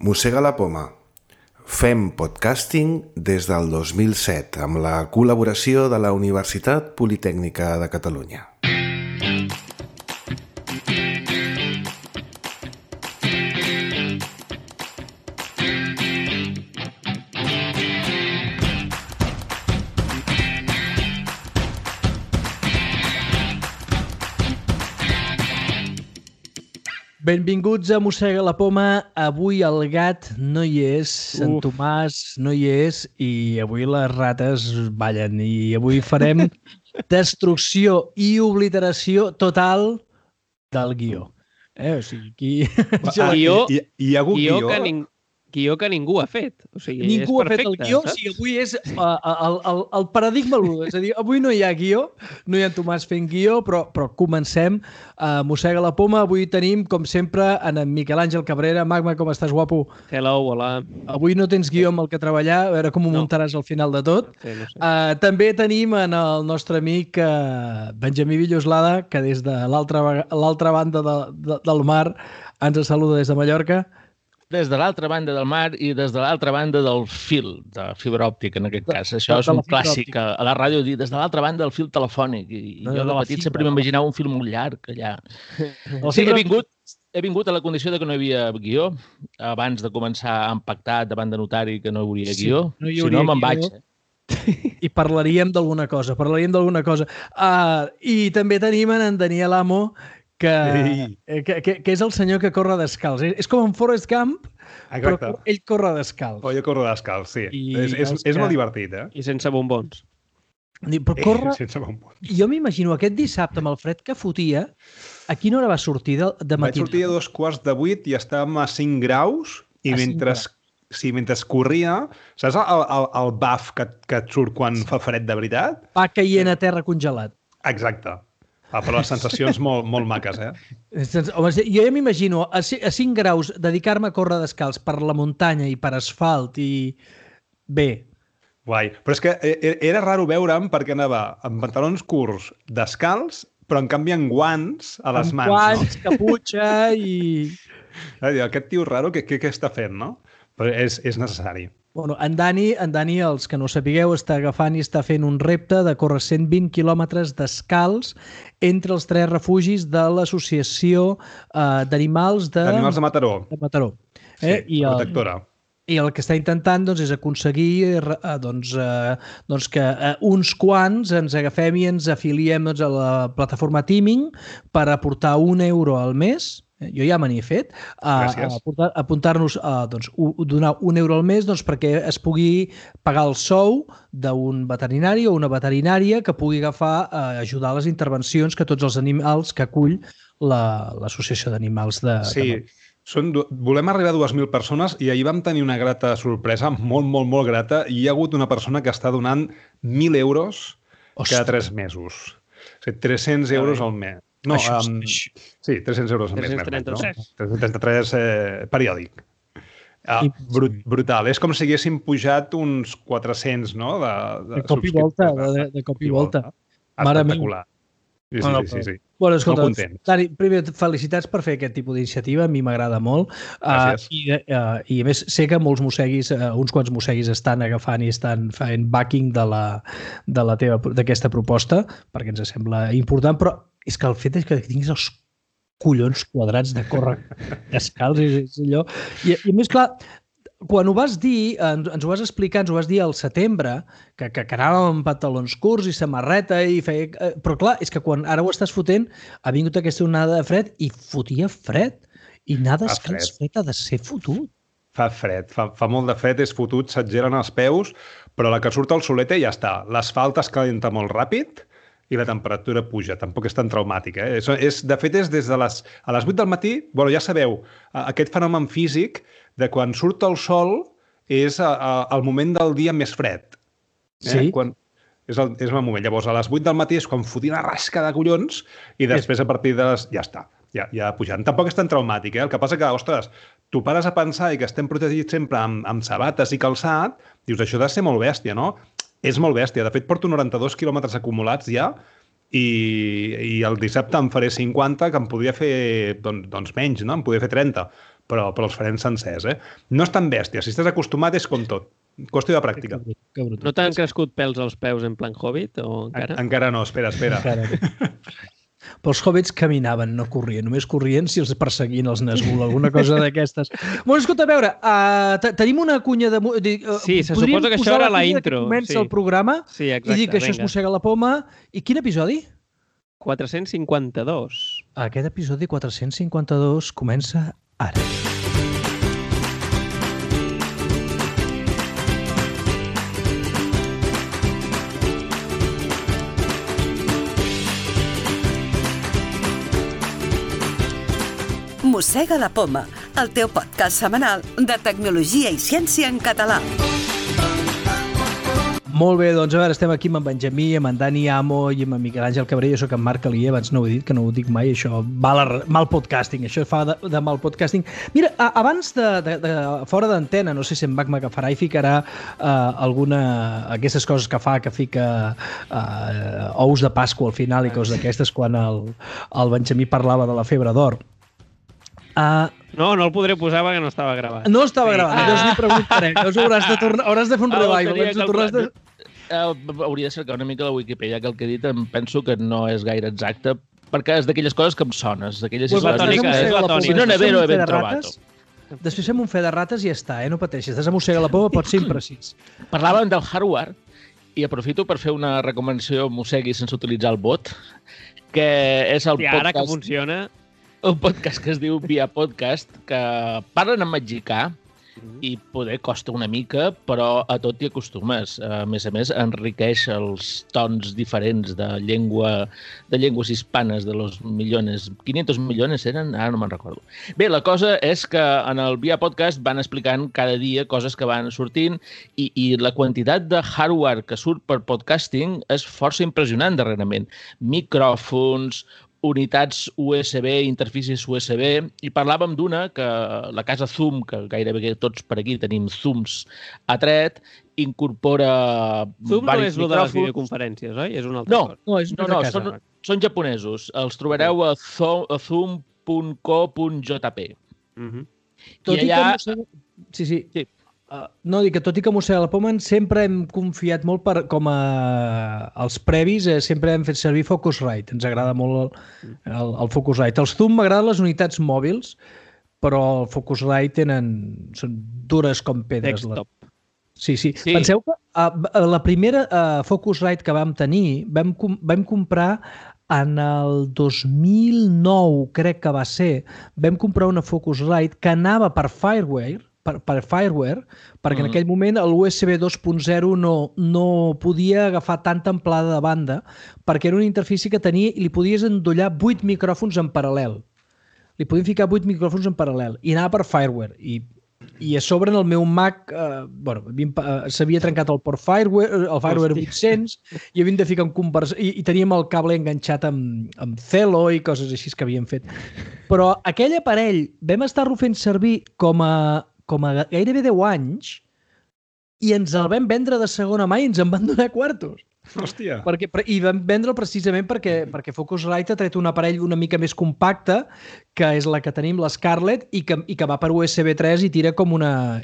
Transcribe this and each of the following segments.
Mossega la poma. Fem podcasting des del 2007 amb la col·laboració de la Universitat Politècnica de Catalunya. Benvinguts a Mossega la poma. Avui el gat no hi és, en Tomàs no hi és i avui les rates ballen i avui farem destrucció i obliteració total del guió. O sigui, aquí... Hi ha hagut guió? Guió que ningú ha fet. O sigui, ningú és perfecte, ha fet el guió, saps? o sigui, avui és el paradigma l'1. És a dir, avui no hi ha guió, no hi ha en Tomàs fent guió, però comencem a Mossega la poma. Avui tenim, com sempre, en Miquel Àngel Cabrera. Magma, com estàs, guapo? Hello, hola. Avui no tens guió amb el que treballar, a veure com ho muntaràs al final de tot. Sí, no sé. També tenim en el nostre amic Benjamí Villoslada, que des de l'altra banda del mar ens saluda des de Mallorca. Des de l'altra banda del mar i des de l'altra banda del fil de fibra òptica, en aquest cas. Això és un clàssic a la ràdio, dir des de l'altra banda del fil telefònic. I jo de petit sempre m'imaginava un fil molt llarg allà. Sí, he vingut a la condició de que no hi havia guió. Abans de començar a empactar davant de notari que no hi hauria guió. Si no, me'n vaig. I parlaríem d'alguna cosa. I també tenim en Daniel Amo, que és el senyor que corre descalç. És com en Forrest Gump, però ell corre descalç. Jo corro descalç, sí. És molt divertit, eh? I sense bombons. Però corre... Sense bombons. Jo m'imagino aquest dissabte amb el fred que fotia, a quina hora va sortir de matí? Vaig sortir a 7:15 i estàvem a 5 graus i mentre corria, saps el baf que et surt quan fa fred de veritat? Va caient a terra congelat. Exacte. Però les sensacions molt maques, eh? Home, jo ja m'imagino a 5 graus dedicar-me a córrer descalç per la muntanya i per asfalt i... Bé. Guai. Però és que era raro veure'm perquè anava amb pantalons curts descalç, però en canvi amb guants a les mans. Amb guants, caputxa i... Aquest tio raro, què està fent, no? Però és necessari. Bueno, en Dani, els que no sapigueu, està agafant i està fent un repte de córrer 120 quilòmetres descalç entre els 3 refugis de l'Associació d'Animals de Mataró. Sí, protectora. I el que està intentant és aconseguir que uns quants ens agafem i ens afiliem a la plataforma Teaming per aportar €1 al mes. Jo ja me n'hi he fet, apuntar-nos a donar €1 al mes perquè es pugui pagar el sou d'un veterinari o una veterinària que pugui agafar a ajudar a les intervencions que tots els animals que acull l'Associació d'Animals de... Sí, volem arribar a 2.000 persones i ahir vam tenir una grata sorpresa, molt grata, i hi ha hagut una persona que està donant €1.000 cada 3 mesos. O sigui, €300 al mes. No, sí, €300 al mes. 333. 333 periòdic. Brutal. És com si haguéssim pujat uns 400, no? De cop i volta. Espectacular. Sí. Bueno, escolta, Dani, primer, felicitats per fer aquest tipus d'iniciativa, a mi m'agrada molt. Gràcies. I a més, sé que molts mosseguis, uns quants mosseguis estan agafant i estan fent backing d'aquesta proposta, perquè ens sembla important, però és que el fet és que tinguis els collons quadrats de córrer descalç és allò. I a més, clar, quan ho vas dir, ens ho vas explicar, ens ho vas dir al setembre, que anàvem amb pantalons curts i samarreta i feia... Però clar, és que quan ara ho estàs fotent, ha vingut aquesta onada de fred i fotia fred. I anar descalç fred ha de ser fotut. Fa fred, fa molt de fred, és fotut, s'exgelen els peus, però la que surt al solet ja està. L'asfalt es calenta molt ràpid i la temperatura puja. Tampoc és tan traumàtica. De fet, és des de a les 8 del matí, ja sabeu, aquest fenomen físic de quan surt el sol és el moment del dia més fred. Sí. És el moment. Llavors, a les 8 del matí és quan fotia una rasca de collons i després a partir de les... Ja està, ja pujant. Tampoc és tan traumàtic, eh? El que passa que, ostres, tu pares a pensar i que estem protegits sempre amb sabates i calçat, dius, això ha de ser molt bèstia, no? És molt bèstia. De fet, porto 92 quilòmetres acumulats ja i el dissabte en faré 50, que em podria fer doncs menys, no? Em podria fer 30. però els farem sencers, eh? No és tan bèstia. Si estàs acostumat és com tot. Qüestió de pràctica. Que brut. No t'han crescut pels als peus en plan Hobbit o encara? Encara no, espera. Encara no. Però els hobbits caminaven, no corrien. Només corrien si els perseguien els Nazgûl, alguna cosa d'aquestes. Bueno, escolta, a veure, tenim una cunya de... Sí, se suposa que això era la intro. Comença el programa sí, exacte, i dic que això es mossega la poma. I quin episodi? 452. Aquest episodi 452 comença ara. Mossega la poma, el teu podcast setmanal de tecnologia i ciència en català. Molt bé, doncs a veure, estem aquí amb en Benjamí, amb en Dani Amo i amb en Miquel Àngel Cabré. Jo soc en Marc Alier, abans no ho he dit, que no ho dic mai, això mal podcasting, això fa de mal podcasting. Mira, abans de fora d'antena, no sé si en Mac m'agafarà i ficarà aquestes coses que fa, que fica ous de Pasqua al final i coses d'aquestes, quan el Benjamí parlava de la febre d'or. No el podré posar perquè no estava gravat. No estava gravat, llavors li preguntaré. Hauràs de fer un revival. Hauria de cercar una mica la Wikipedia, que el que he dit em penso que no és gaire exacte, perquè és d'aquelles coses que em sones. És la tònica. Si no n'he ben trobat. Després fem un fe de rates i ja està, no pateixis. Estàs a mossega la poma, pot ser imprecís. Parlàvem del hardware i aprofito per fer una recomanació mossegui sense utilitzar el bot, que és el podcast... Ara que funciona... Un podcast que es diu Via Podcast, que parlen en mexicà i poder costa una mica, però a tot t'hi acostumes. A més, enriqueix els tons diferents de llengües hispanes de los millones. 500 millones eren? Ara no me'n recordo. Bé, la cosa és que en el Via Podcast van explicant cada dia coses que van sortint i la quantitat de hardware que surt per podcasting és força impressionant darrerament. Micròfons, unitats USB, interfícies USB, i parlàvem d'una que la casa Zoom, que gairebé tots per aquí tenim Zooms a tret, incorpora Zoom no és micròfons. el de les videoconferències, oi? És una altra cosa. No, són japonesos. Els trobareu a zoom.co.jp. Tot i que... Sí. No, dic que tot i que mossega la poma sempre hem confiat molt com els previs, sempre hem fet servir Focusrite. Ens agrada molt el Focusrite. Els Zoom m'agraden les unitats mòbils, però el Focusrite són dures com pedres. Desktop. Sí. Penseu que la primera Focusrite que vam tenir vam comprar en el 2009, crec que va ser, vam comprar una Focusrite que anava per Fireware, perquè en aquell moment l'USB 2.0 no podia agafar tanta amplada de banda, perquè era una interfície que tenia i li podies endollar 8 micròfons en paral·lel. Li podien ficar 8 micròfons en paral·lel i anava per Fireware. I a sobre en el meu Mac s'havia trencat el port Fireware, el Fireware 800, i havíem de ficar un conversador i teníem el cable enganxat amb Celo i coses així que havíem fet. Però aquell aparell vam estar-lo fent servir com a gairebé 10 anys i ens el vam vendre de segona mà i ens en van donar quartos. Hòstia. I vam vendre'l precisament perquè Focusrite ha tret un aparell una mica més compacte, que és la que tenim, l'Scarlett, i que va per USB 3 i tira com una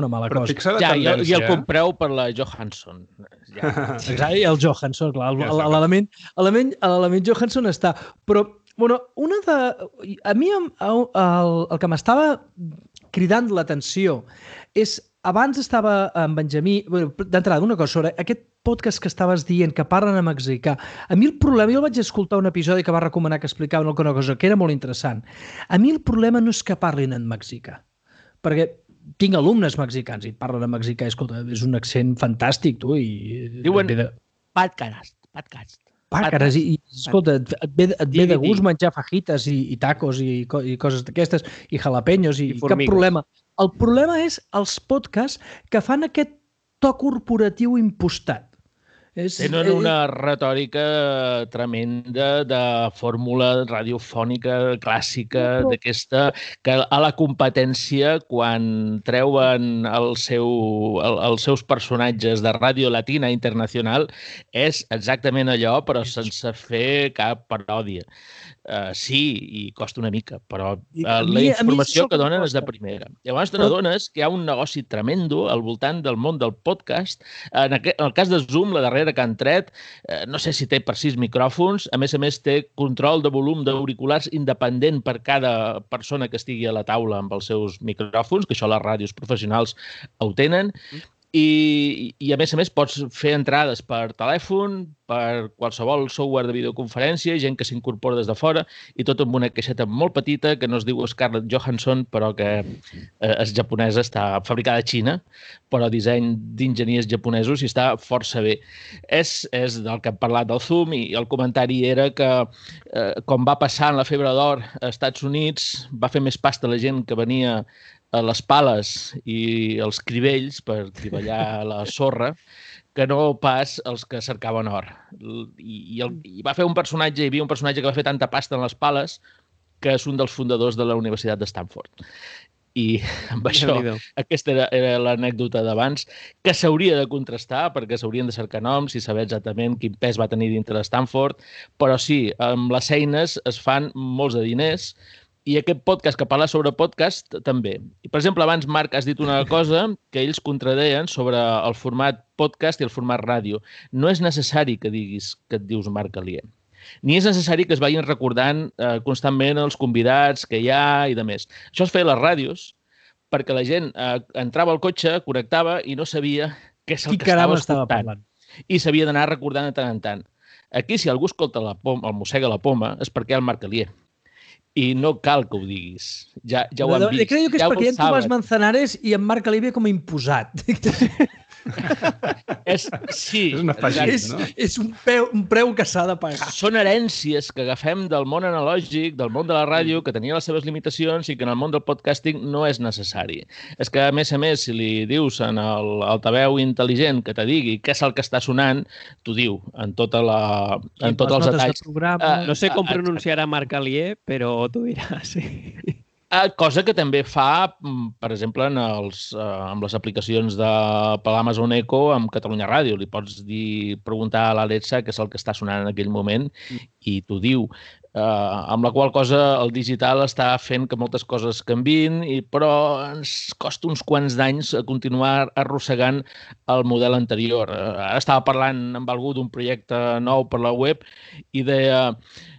mala cosa. I el compreu per la Johansson. Exacte, i el Johansson, clar. L'element Johansson està. Però, bueno, a mi el que m'estava cridant l'atenció és, abans estava en Benjamí, d'entrada, una cosa sobre aquest podcast que estaves dient, que parlen en mexicà. A mi el problema, jo vaig escoltar un episodi que va recomanar que explicaven alguna cosa que era molt interessant. A mi el problema no és que parlin en mexicà, perquè tinc alumnes mexicans i parlen en mexicà, escolta, és un accent fantàstic, tu, i... Diuen podcast. Pàcares, i escolta, et ve de gust menjar fajitas i tacos i coses d'aquestes, i jalapeños, i cap problema. El problema és els podcasts que fan aquest to corporatiu impostat. Tenen una retòrica tremenda de fórmula radiofònica clàssica d'aquesta, que a la competència, quan treuen els seus personatges de Ràdio Latina Internacional, és exactament allò, però sense fer cap paròdia. Sí, i costa una mica, però la informació que donen és de primera. Llavors t'adones que hi ha un negoci tremendo al voltant del món del podcast. En el cas de Zoom, la darrera que han tret, no sé si té per 6 micròfons, a més té control de volum d'auriculars independent per cada persona que estigui a la taula amb els seus micròfons, que això les ràdios professionals ho tenen, i a més pots fer entrades per telèfon, per qualsevol software de videoconferència, gent que s'incorpora des de fora, i tot amb una caixeta molt petita que no es diu Scarlett Johansson, però que és japonesa, està fabricada a Xina, però disseny d'enginyers japonesos i està força bé. És del que hem parlat del Zoom, i el comentari era que, com va passar en la febre d'or als Estats Units, va fer més pasta la gent que venia a les pales i els crivells per triballar la sorra que no pas els que cercaven or. I va fer un personatge, hi havia un personatge que va fer tanta pasta en les pales que és un dels fundadors de la Universitat de Stanford. I amb això, aquesta era l'anècdota d'abans, que s'hauria de contrastar perquè s'haurien de cercar noms i saber exactament quin pes va tenir dintre de Stanford, però sí, amb les eines es fan molts de diners. I aquest podcast que parla sobre podcast també. I, per exemple, abans, Marc, has dit una cosa que ells contradeien sobre el format podcast i el format ràdio. No és necessari que diguis que et dius Marc Alier. Ni és necessari que es vagin recordant constantment els convidats que hi ha i de més. Això es feia a les ràdios perquè la gent entrava al cotxe, connectava i no sabia què és el que estava escoltant. I s'havia d'anar recordant de tant en tant. Aquí, si algú escolta el mossega la poma, és perquè hi ha el Marc Alier. I no cal que ho diguis. Ja ho han vist. Crec que és perquè hi ha en Tomàs Manzanares i en Marc Alier com a imposat. Sí. És un afegit, no? És un preu que s'ha de pagar. Són herències que agafem del món analògic, del món de la ràdio, que tenia les seves limitacions i que en el món del podcasting no és necessari. És que, a més, si li dius en l'altaveu intel·ligent que te digui què és el que està sonant, t'ho diu en tots els detalls. No sé com pronunciarà Marc Alier, però t'ho dirà, sí. Cosa que també fa, per exemple, amb les aplicacions per l'Amazon Echo amb Catalunya Ràdio. Li pots preguntar a l'Alexa què és el que està sonant en aquell moment i t'ho diu. Amb la qual cosa el digital està fent que moltes coses canviïn, però ens costa uns quants d'anys continuar arrossegant el model anterior. Ara estava parlant amb algú d'un projecte nou per la web i deia,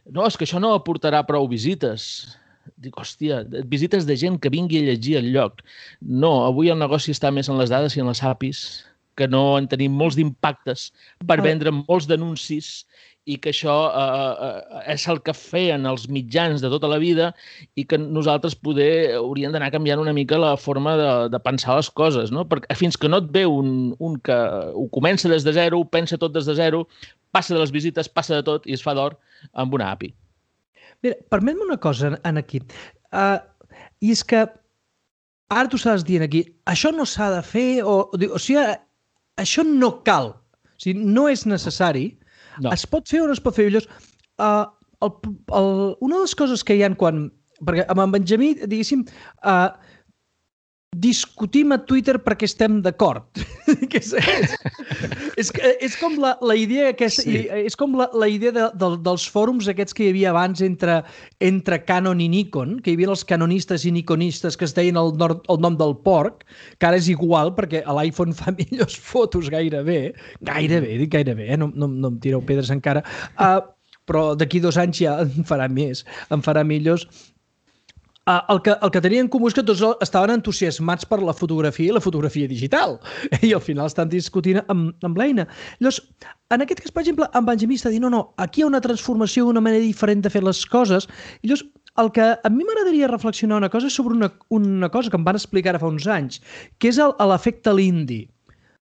no, és que això no aportarà prou visites. Dic, hòstia, visites de gent que vingui a llegir el lloc. No, avui el negoci està més en les dades i en les APIs, que no en tenim molts d'impactes per vendre molts d'anuncis i que això és el que feien els mitjans de tota la vida i que nosaltres poder hauríem d'anar canviant una mica la forma de pensar les coses, no? Perquè fins que no et ve un que ho comença des de zero, ho pensa tot des de zero, passa de les visites, passa de tot i es fa d'or amb una API. Mira, permet-me una cosa aquí. I és que ara tu estàs dient aquí, això no s'ha de fer, o sigui, això no cal, o sigui, no és necessari. No. Es pot fer o no es pot fer? Llavors, una de les coses que hi ha quan... Perquè amb en Benjamí, diguéssim, discutim a Twitter perquè estem d'acord. És com la idea és com la idea dels fòrums aquests que hi havia abans entre Canon i Nikon, que hi havia els canonistes i nikonistes que es deien el nom del porc, que ara és igual perquè l'iPhone fa millors fotos gairebé, no em tireu pedres encara, però d'aquí 2 anys ja en farà millors. El que tenien en comú és que tots estaven entusiasmats per la fotografia i la fotografia digital i al final estan discutint amb l'eina. Llavors, en aquest cas, per exemple, en Benjamí està dient no, aquí hi ha una transformació, una manera diferent de fer les coses. I llavors, el que a mi m'agradaria reflexionar una cosa és sobre una cosa que em van explicar ara fa uns anys, que és l'efecte Lindy.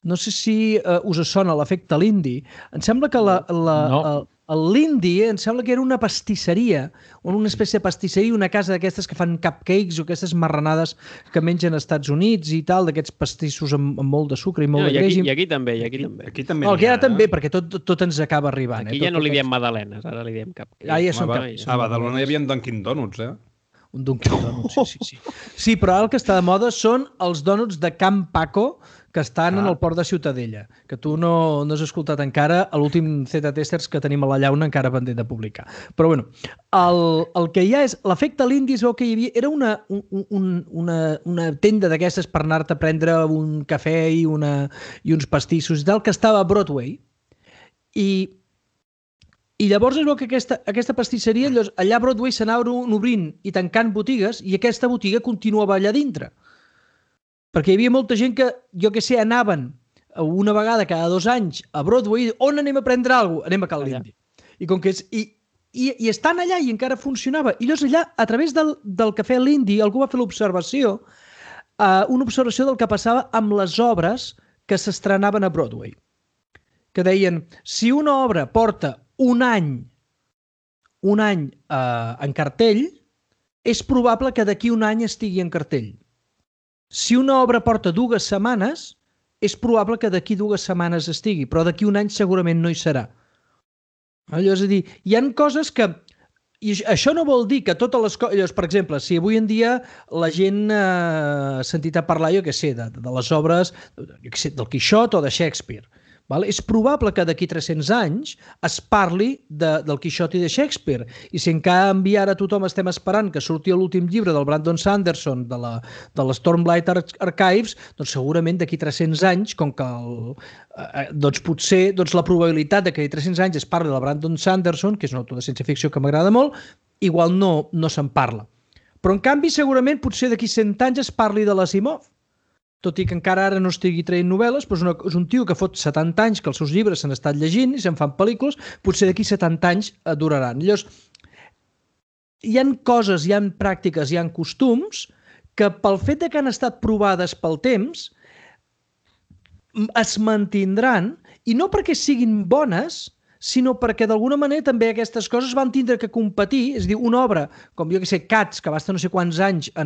No sé si us sona l'efecte Lindy. Em sembla que No. l'Indy em sembla que era una pastisseria, una espècie de pastisseria, una casa d'aquestes que fan cupcakes o aquestes marranades que mengen als Estats Units i tal, d'aquests pastissos amb molt de sucre i molt de greix. I aquí també. Aquí també no, aquí ara també, perquè tot ens acaba arribant. Aquí ja no li diem magdalenes, ara li diem cupcakes. Ja són cupcakes. A Badalona hi havia Dunkin' Donuts, Un Dunkin' Donuts, sí. Sí, però ara el que està de moda són els dònuts de Can Paco, que estan en el port de Ciutadella, que tu no has escoltat encara, l'últim Z-Testers que tenim a la llauna encara pendent de publicar. Però bueno, el que hi ha és, l'efecte l'Indy es veu que hi havia, era una tenda d'aquestes per anar-te a prendre un cafè i uns pastissos i tal, que estava a Broadway, i llavors es veu que aquesta pastisseria, allà a Broadway s'anaven obrint i tancant botigues i aquesta botiga continuava allà dintre. Perquè hi havia molta gent que, jo què sé, anaven una vegada cada 2 anys a Broadway, on anem a prendre alguna cosa? Anem a Cal l'Indy. I estan allà i encara funcionava. I llavors allà, a través del cafè l'Indy, algú va fer l'observació, una observació del que passava amb les obres que s'estrenaven a Broadway. Que deien, si una obra porta un any en cartell, és probable que d'aquí un any estigui en cartell. Si una obra porta 2 setmanes, és probable que d'aquí 2 setmanes estigui, però d'aquí un any segurament no hi serà. És a dir, hi ha coses que... I això no vol dir que totes les coses... Per exemple, si avui en dia la gent ha sentit a parlar, jo què sé, de les obres del Quixot o de Shakespeare, és probable que d'aquí 300 anys es parli del Quixot i de Shakespeare. I si en canvi ara tothom estem esperant que surti l'últim llibre del Brandon Sanderson de la Stormlight Archives, doncs segurament d'aquí 300 anys, com que potser la probabilitat de que d'aquí 300 anys es parli del Brandon Sanderson, que és un autor de ciència-ficció que m'agrada molt, igual no se'n parla. Però en canvi segurament potser d'aquí 100 anys es parli de l'Asimov. Tot i que encara ara no estigui traient novel·les, però és un tio que fot 70 anys que els seus llibres s'han estat llegint i se'n fan pel·lícules, potser d'aquí 70 anys duraran. Llavors, hi ha coses, hi ha pràctiques, hi ha costums que pel fet que han estat provades pel temps es mantindran, i no perquè siguin bones, sinó perquè d'alguna manera també aquestes coses van tindre que competir. És a dir, una obra, com jo que sé, Cats, que va estar no sé quants anys a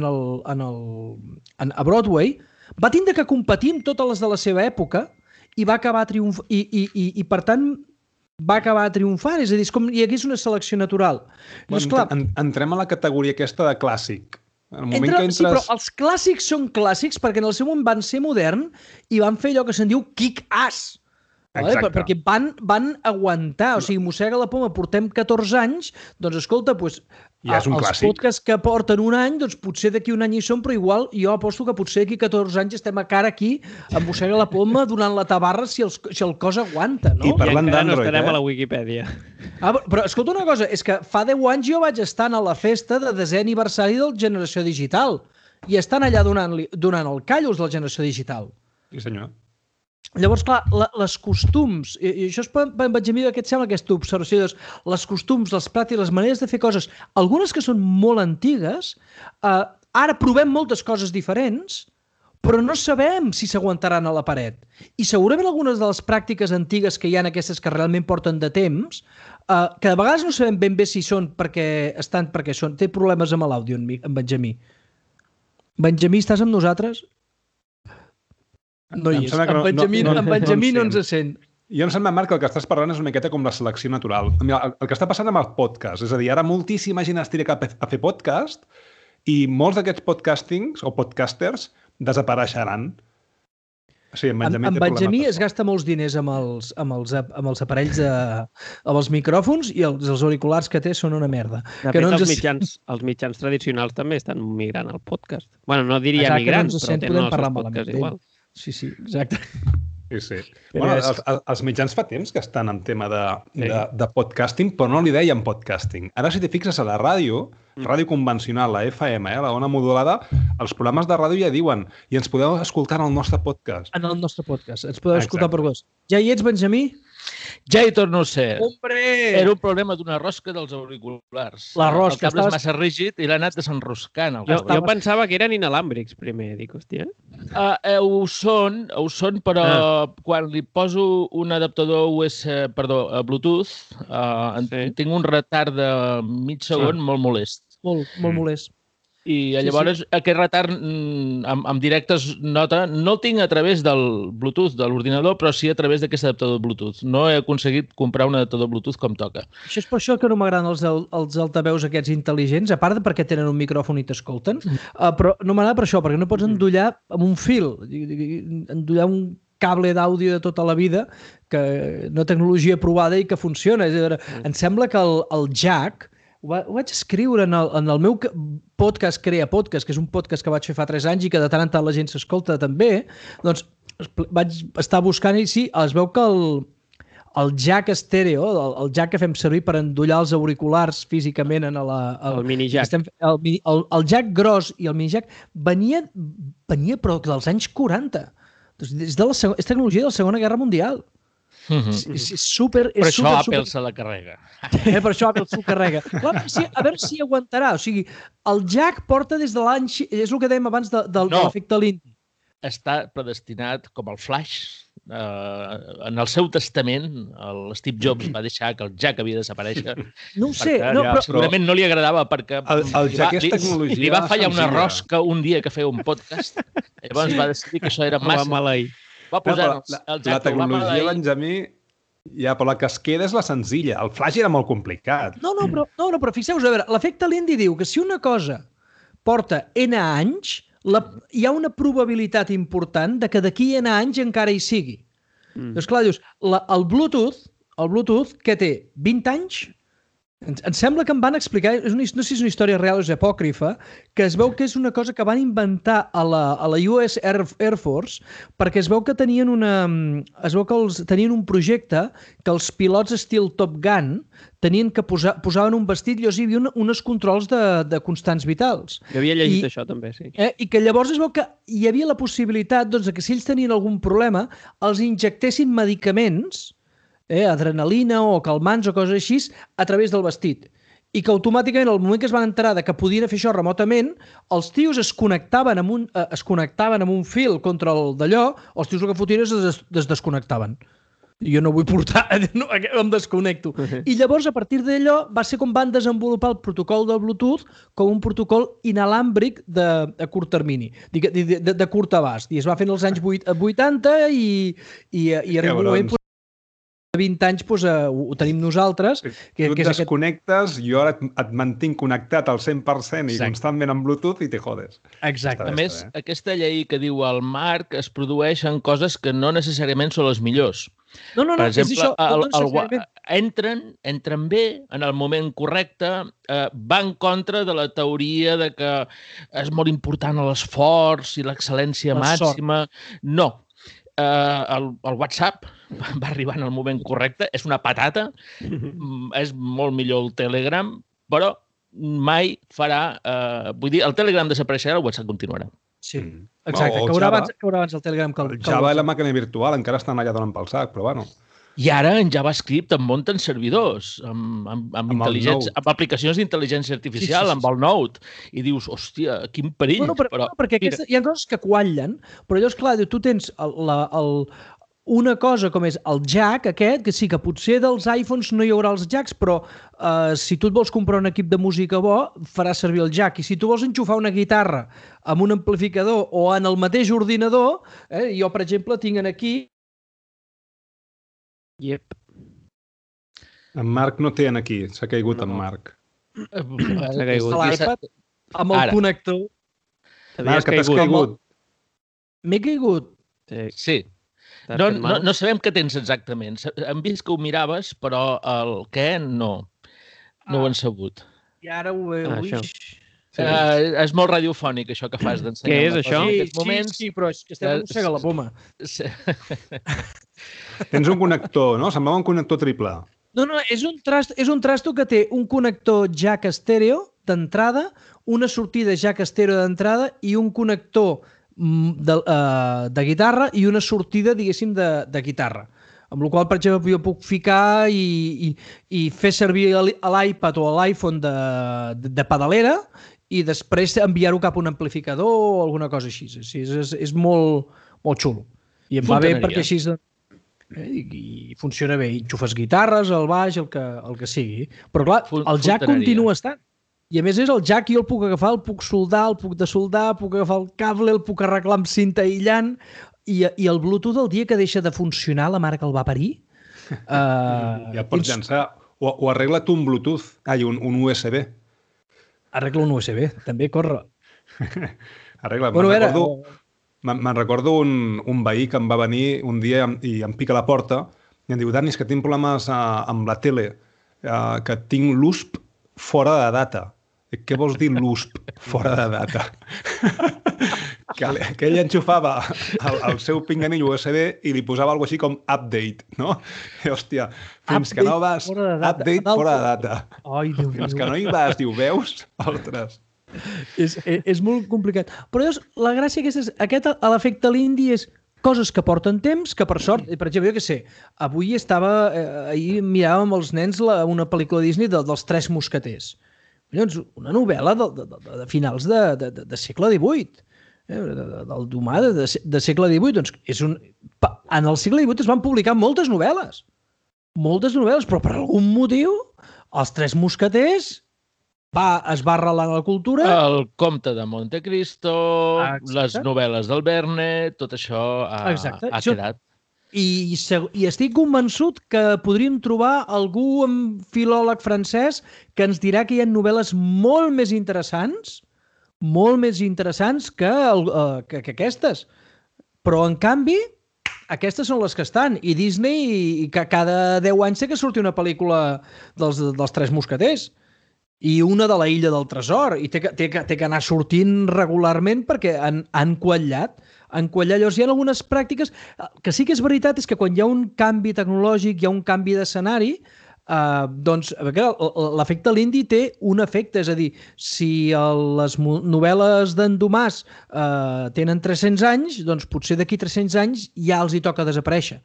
Broadway, va tindre que competir amb totes les de la seva època i va acabar triomfant i per tant va acabar triomfant, és a dir, és com hi hagués una selecció natural. Doncs, clar, entrem a la categoria aquesta de clàssic. Sí, però els clàssics són clàssics perquè en el seu moment van ser modern i van fer allò que se'n diu kick-ass. Perquè van aguantar, o sigui, Mossega la Poma portem 14 anys, doncs escolta, ja és un els clàssic. podcasts que porten un any, doncs potser d'aquí un any hi són, però igual jo aposto que potser d'aquí 14 anys estem a cara aquí amb Mossega la Poma donant la tabarra si el cos aguanta, no? I parlant d'Android, no estarem a la Wikipedia. Però escolta una cosa, és que fa 10 anys jo vaig estar a la festa de 10è aniversari del Generació Digital i estan allà donant el callos de la Generació Digital. Sí, senyor. Llavors, clar, les costums, i això és Benjamí, que et sembla aquesta observació, les costums, les pràctiques, les maneres de fer coses, algunes que són molt antigues, ara provem moltes coses diferents, però no sabem si s'aguantaran a la paret. I segurament algunes de les pràctiques antigues que hi ha aquestes que realment porten de temps, que de vegades no sabem ben bé si són perquè té problemes amb l'àudio, en Benjamí. Benjamí, estàs amb nosaltres? No hi és. En Benjamí no ens sent. Jo em sembla, Marc, que el que estàs parlant és una miqueta com la selecció natural. El que està passant amb el podcast, és a dir, ara moltíssima gent es tira cap a fer podcast i molts d'aquests podcastings o podcasters desapareixeran. Sí, en Benjamí es gasta molts diners amb els aparells, amb els micròfons, i els auriculars que té són una merda. De fet, els mitjans tradicionals també estan migrant al podcast. Bueno, no diria migrant, però tenen els seus podcasts igual. Sí, exacte. Sí. Bueno, els mitjans fa temps que estan en tema de podcasting, però no li deien podcasting. Ara, si t'hi fixes a la ràdio convencional, la FM, la ona modulada, els programes de ràdio ja diuen i ens podeu escoltar en el nostre podcast. En el nostre podcast. Ens podeu escoltar per vos. Ja hi ets, Benjamí? Ja hi torno a ser. Hombre! Era un problema d'una rosca dels auriculars. La rosca. El cable és massa rígid i l'ha anat desenroscant. Jo pensava que eren inalàmbrics primer, dic, hòstia. Ho són, però quan li poso un adaptador Bluetooth, tinc un retard de mig segon molt molest. Molt molest. I llavors aquest retard en directe es nota, no el tinc a través del Bluetooth de l'ordinador, però sí a través d'aquest adaptador Bluetooth. No he aconseguit comprar un adaptador Bluetooth com toca. Això és per això que no m'agraden els altaveus aquests intel·ligents, a part perquè tenen un micròfon i t'escolten, però no m'agrada per això, perquè no pots endollar amb un fil, endollar un cable d'àudio de tota la vida, que no tecnologia provada i que funciona. Em sembla que el jack, ho vaig escriure en el meu podcast Crea Podcast, que és un podcast que vaig fer fa 3 anys i que de tant en tant la gent s'escolta també, doncs vaig estar buscant i sí, es veu que el jack estèreo, el jack que fem servir per endollar els auriculars físicament en el mini-jack. El jack gros i el mini-jack venia però dels anys 40. És tecnologia de la Segona Guerra Mundial. És super... Per això Apple se la carrega. Per això Apple s'ho carrega. A veure si aguantarà. O sigui, el jack porta des de l'any... És el que dèiem abans de l'efecte Lindy. Està predestinat com el flash. En el seu testament, l'Steve Jobs va deixar que el jack havia de desaparèixer. No ho sé. Segurament no li agradava perquè el jack és tecnologia li va fallar una rosca un dia que feia un podcast. Llavors va decidir que això era massa... Va posar la tecnologia, Benjamí, però la que es queda és la senzilla. El flash era molt complicat. No, però fixeu-vos, a veure, l'efecte Lindy diu que si una cosa porta N anys, hi ha una probabilitat important de que d'aquí N anys encara hi sigui. Doncs clar, dius, el Bluetooth, que té 20 anys, em sembla que em van explicar, no sé si és una història real o és apòcrifa, que es veu que és una cosa que van inventar a la US Air Force perquè es veu que tenien un projecte que els pilots estil Top Gun tenien que posaven un vestit i hi havia uns controls de constants vitals. Jo havia llegit això també, sí. I que llavors es veu que hi havia la possibilitat que si ells tenien algun problema els injectessin medicaments, adrenalina o calmants o coses així, a través del vestit. I que automàticament, al moment que es van enterar que podien fer això remotament, els tios es connectaven amb un fil contra el d'allò, els tios el que fotien es desconnectaven. Jo no vull portar, em desconnecto. I llavors, a partir d'allò, va ser com van desenvolupar el protocol del Bluetooth com un protocol inalàmbric de curt termini, de curt abast. I es va fer en els anys 80 i arriba un moment... 20 anys ho tenim nosaltres. Tu et desconnectes, jo ara et mantinc connectat al 100% i constantment amb Bluetooth i te jodes. Exacte. A més, aquesta llei que diu el Marc es produeix en coses que no necessàriament són les millors. No, per exemple, entren bé en el moment correcte, va en contra de la teoria de que és molt important l'esforç i l'excel·lència màxima. No. El WhatsApp va arribar en el moment correcte, és una patata, és molt millor el Telegram, però mai farà... Vull dir, el Telegram desapareixerà, el WhatsApp continuarà. Sí, exacte. Caurà abans el Telegram que el Java i la màquina virtual encara estan allà donant pel sac, però bueno... I ara en JavaScript en munten servidors amb aplicacions d'intel·ligència artificial, amb el Node. I dius, hòstia, quin perill. Perquè hi ha coses que quallen, però llavors, clar, tu tens una cosa com és el jack aquest, que sí que potser dels iPhones no hi haurà els jacks, però si tu et vols comprar un equip de música bo, faràs servir el jack. I si tu vols enxufar una guitarra amb un amplificador o en el mateix ordinador, jo, per exemple, tinc aquí... Yep. En Marc no té aquí, s'ha caigut en Marc. S'ha caigut. L'iPad amb el connector. Marc, que t'has caigut. M'he caigut? Sí. No sabem què tens exactament. Hem vist que ho miraves, però el què no ho hem sabut. I ara ho vist. És molt radiofònic, això que fas d'ensenyar. Què és això? Sí, però és que estem a mossega la poma. Tens un connector, no? Semblava un connector triple. No, és un trasto que té un connector jack estèreo d'entrada, una sortida jack estèreo d'entrada i un connector de guitarra i una sortida, diguéssim, de guitarra. Amb la qual cosa, per exemple, jo puc ficar i fer servir l'iPad o l'iPhone de pedalera i després enviar-ho cap a un amplificador o alguna cosa així. És molt, molt xulo. I em va bé perquè així i funciona bé. Enxufes guitarres, el baix, el que sigui. Però clar, el jack continua estant. I a més és el jack, jo el puc agafar, el puc soldar, el puc desoldar, puc agafar el cable, el puc arreglar amb cinta aïllant i el Bluetooth el dia que deixa de funcionar la mare que el va parir... ja pots llançar, o arregla't un Bluetooth, un USB. Arregla un USB, també corre. Arregla, me'n recordo un veí que em va venir un dia i em pica a la porta i em diu, Dani, és que tinc problemes amb la tele, que tinc l'USP fora de data. Què vols dir l'USP fora de data? que ell enxufava el seu pinganell USB i li posava alguna així com update, no? I, hòstia, fins que no vas... Update fora de data. Ai, Déu meu. Fins que no hi vas, diu, veus? Ostres. És molt complicat. Però llavors, la gràcia aquesta és... L'efecte Lindy és coses que porten temps, que per sort... Per exemple, jo què sé, avui ahir miràvem els nens una pel·lícula Disney dels Tres Mosqueters. Llavors, una novel·la de finals de segle XVIII, del Dumas de segle XVIII. Doncs en el segle XVIII es van publicar moltes novel·les, però per algun motiu els Tres Mosqueters es va arrelar en la cultura. El Comte de Montecristo, les novel·les del Verne, tot això ha quedat. I estic convençut que podríem trobar algú filòleg francès que ens dirà que hi ha novel·les molt més interessants que aquestes. Però, en canvi, aquestes són les que estan. I Disney, cada 10 anys sé que surti una pel·lícula dels Tres Mosqueters. I una de la Illa del Tresor. I té que anar sortint regularment perquè han quallat. Llavors hi ha algunes pràctiques que sí que és veritat, és que quan hi ha un canvi tecnològic, hi ha un canvi d'escenari, doncs l'efecte Lindy té un efecte, és a dir, si les novel·les d'en Dumas tenen 300 anys, doncs potser d'aquí 300 anys ja els hi toca desaparèixer.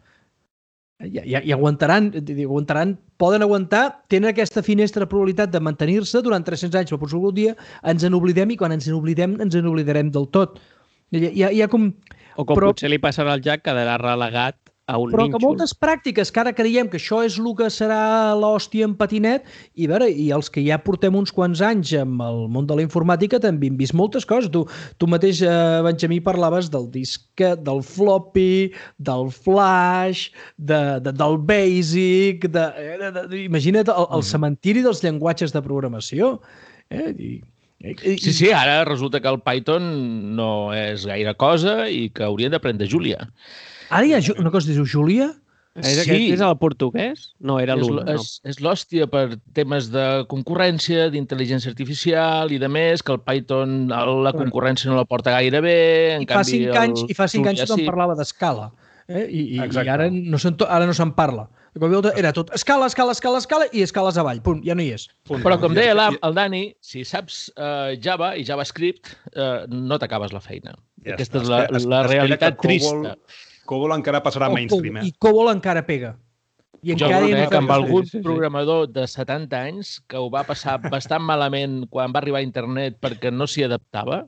I aguantaran, poden aguantar, tenen aquesta finestra de probabilitat de mantenir-se durant 300 anys, però potser algun dia ens n'oblidem i quan ens n'oblidarem del tot. Potser li passarà al Jack, quedarà relegat a un nínxol. Però que moltes pràctiques que ara creiem que això és el que serà l'hòstia en patinet, i els que ja portem uns quants anys amb el món de la informàtica també hem vist moltes coses. Tu mateix, Benjamí, parlaves del disc, del floppy, del flash, del basic, imagina't el cementiri dels llenguatges de programació. Sí, ara resulta que el Python no és gaire cosa i que haurien d'aprendre Julia. Ara hi ha una cosa que es diu Julia? Sí. És el portuguès? No, era l'una. És l'hòstia per temes de concurrència, d'intel·ligència artificial i de més, que el Python, la concurrència no la porta gaire bé. I fa 5 anys tothom parlava d'escala. I ara no se'n parla. Era tot escala i escales avall. Punt, ja no hi és. Però com deia el Dani, si saps Java i JavaScript, no t'acabes la feina. Aquesta és la realitat trista. COBOL encara passarà mainstream. I COBOL encara pega. Jo crec que amb algun programador de 70 anys que ho va passar bastant malament quan va arribar a internet perquè no s'hi adaptava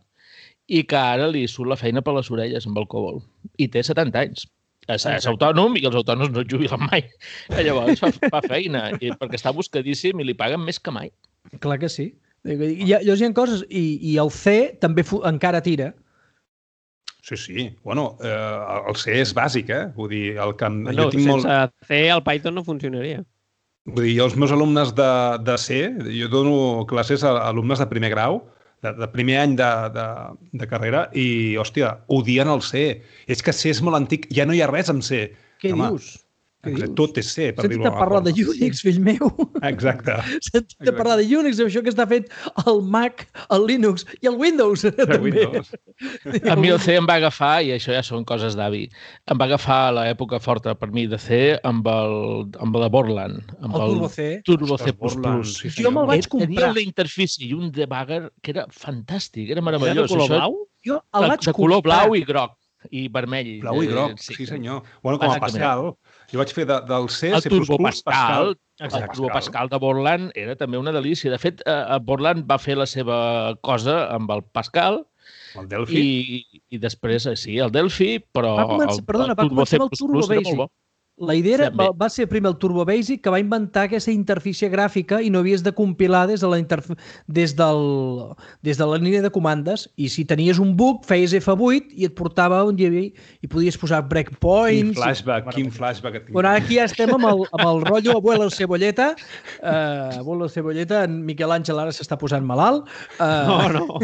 i que ara li surt la feina per les orelles amb el COBOL. I té 70 anys. És autònom i els autònoms no es jubilen mai. Llavors fa feina perquè està buscadíssim i li paguen més que mai. Clar que sí. Llavors hi ha coses i el C també encara tira. Sí. Bueno, el C és bàsic, Vull dir, sense C el Python no funcionaria. Vull dir, els meus alumnes de C, jo dono classes a alumnes de primer grau, de primer any de carrera i, hòstia, odien el C. És que C és molt antic, ja no hi ha res amb C. Què dius? Tot és C, per dir-ho. Sentit a parlar de Unix, fill meu. Exacte. Sentit a parlar de Unix, això que està fet el Mac, el Linux i el Windows. A mi el C em va agafar, i això ja són coses d'avi, em va agafar a l'època forta per mi de C amb la Borland. El Turbo C. Turbo C++. Jo me'l vaig comprar. Tenia una interfície i un debugger que era fantàstic, era meravellós. Era de color blau? De color blau i groc. i vermell. Blau i groc, sí senyor. Bueno, com a Pascal. Jo vaig fer del C, C++, Pascal. El Turbo Pascal de Borland era també una delícia. De fet, Borland va fer la seva cosa amb el Pascal, el Delphi. I després, sí, el Delphi, però va començar el Turbo Basic. La idea va ser primer el Turbo Basic, que va inventar aquesta interfície gràfica i no havies de compilar des de la línia de comandes, i si tenies un bug feies F8 i et portava on hi havia i podies posar breakpoints. Quin flashback. Bueno, aquí ja estem amb el rotllo Abuelo Cebolleta. Abuelo Cebolleta, en Miquel Àngel ara s'està posant malalt. No.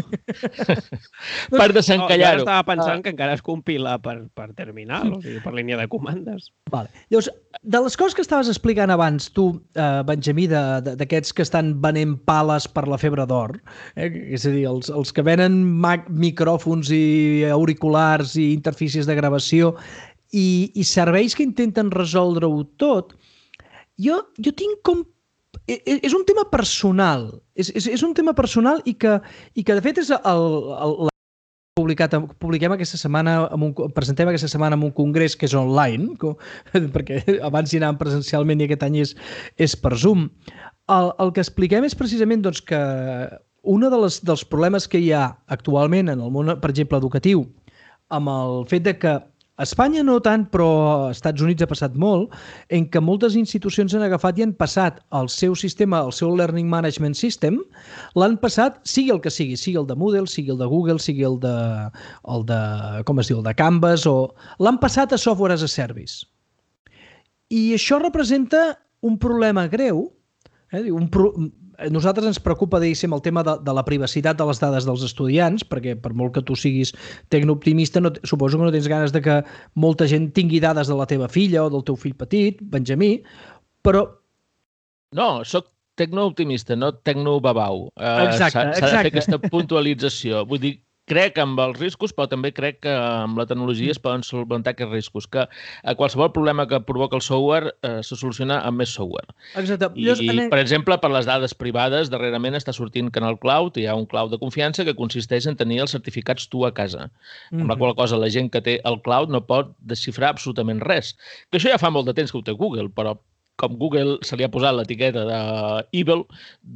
Per desencallar-ho. Jo estava pensant que encara es compila per terminal, o sigui, per línia de comandes. Vale. Llavors, de les coses que estaves explicant abans, tu, Benjamí, d'aquests que estan venent pales per la febre d'or, és a dir, els que venen micròfons i auriculars i interfícies de gravació i serveis que intenten resoldre-ho tot, jo tinc com... És un tema personal. És un tema personal i que de fet, és publiquem aquesta setmana, presentem aquesta setmana en un congrés que és online, perquè abans hi anàvem presencialment i aquest any és per Zoom. El que expliquem és precisament que un dels problemes que hi ha actualment en el món, per exemple, educatiu, amb el fet de que Espanya no tant, però als Estats Units ha passat molt, en què moltes institucions han agafat i han passat el seu sistema, el seu Learning Management System, l'han passat, sigui el que sigui el de Moodle, sigui el de Google, sigui el de com es diu, el de Canvas, o l'han passat a Software as a Service. I això representa un problema greu. Nosaltres ens preocupa, diguéssim, el tema de la privacitat de les dades dels estudiants, perquè per molt que tu siguis tecnooptimista, suposo que no tens ganes de que molta gent tingui dades de la teva filla o del teu fill petit, Benjamí, però... No, soc tecnooptimista, no tecnobabau. Exacte. S'ha de fer aquesta puntualització. Vull dir, crec amb els riscos, però també crec que amb la tecnologia es poden solventar aquests riscos, que qualsevol problema que provoca el software se soluciona amb més software. Exacte. Per exemple, per les dades privades, darrerament està sortint Canal Cloud, hi ha un cloud de confiança que consisteix en tenir els certificats tu a casa. Amb la qual cosa la gent que té el cloud no pot desxifrar absolutament res. Que això ja fa molt de temps que ho té Google, però com Google se li ha posat l'etiqueta d'Evil,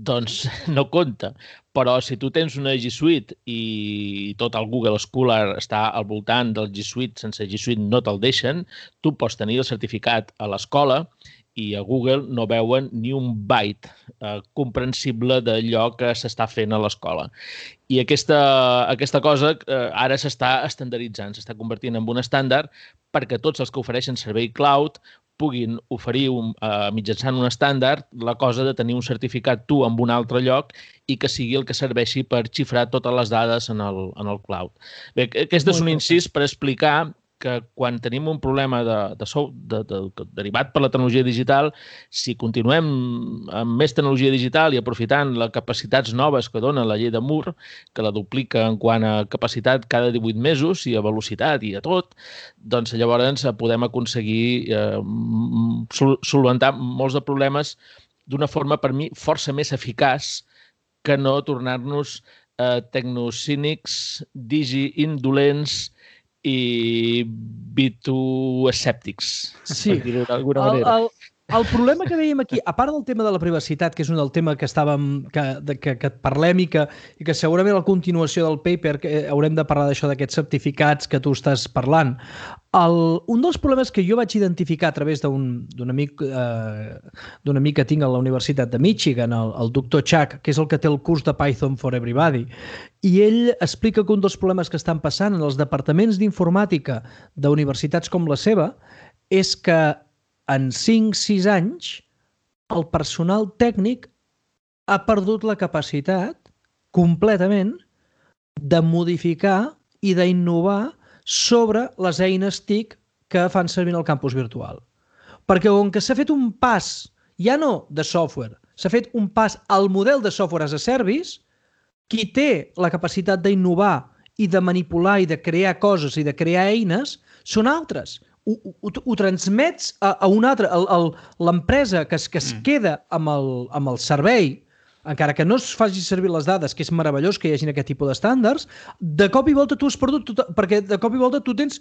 doncs no compta. Però si tu tens una G Suite i tot el Google Scholar està al voltant del G Suite, sense G Suite no te'l deixen, tu pots tenir el certificat a l'escola i a Google no veuen ni un byte comprensible d'allò que s'està fent a l'escola. I aquesta cosa ara s'està estandarditzant, s'està convertint en un estàndard perquè tots els que ofereixen servei cloud puguin oferir mitjançant un estàndard la cosa de tenir un certificat tu en un altre lloc i que sigui el que serveixi per xifrar totes les dades en el cloud. Bé, aquest és un incís per explicar que quan tenim un problema derivat per la tecnologia digital, si continuem amb més tecnologia digital i aprofitant les capacitats noves que dona la llei de Moore, que la duplica en quant a capacitat cada 18 mesos i a velocitat i a tot, doncs llavors podem aconseguir solventar molts de problemes d'una forma, per mi, força més eficaç que no tornar-nos tecnocínics, digi-indolents i bitoescèptics, per dir-ho d'alguna manera. El problema que dèiem aquí, a part del tema de la privacitat, que és un del tema que parlem i que segurament a la continuació del paper haurem de parlar d'això, d'aquests certificats que tu estàs parlant, un dels problemes que jo vaig identificar a través d'un amic que tinc a la Universitat de Michigan, el doctor Chuck, que és el que té el curs de Python for Everybody, i ell explica que un dels problemes que estan passant en els departaments d'informàtica d'universitats com la seva és que en 5-6 anys el personal tècnic ha perdut la capacitat completament de modificar i d'innovar sobre les eines TIC que fan servir en el campus virtual. Perquè com que s'ha fet un pas, ja no de software, s'ha fet un pas al model de software as a service, qui té la capacitat d'innovar i de manipular i de crear coses i de crear eines són altres. Ho transmets a un altre. L'empresa que es queda amb el servei encara que no es faci servir les dades, que és meravellós que hi hagin aquest tipus d'estàndards, de cop i volta tu has perdut, perquè de cop i volta tu tens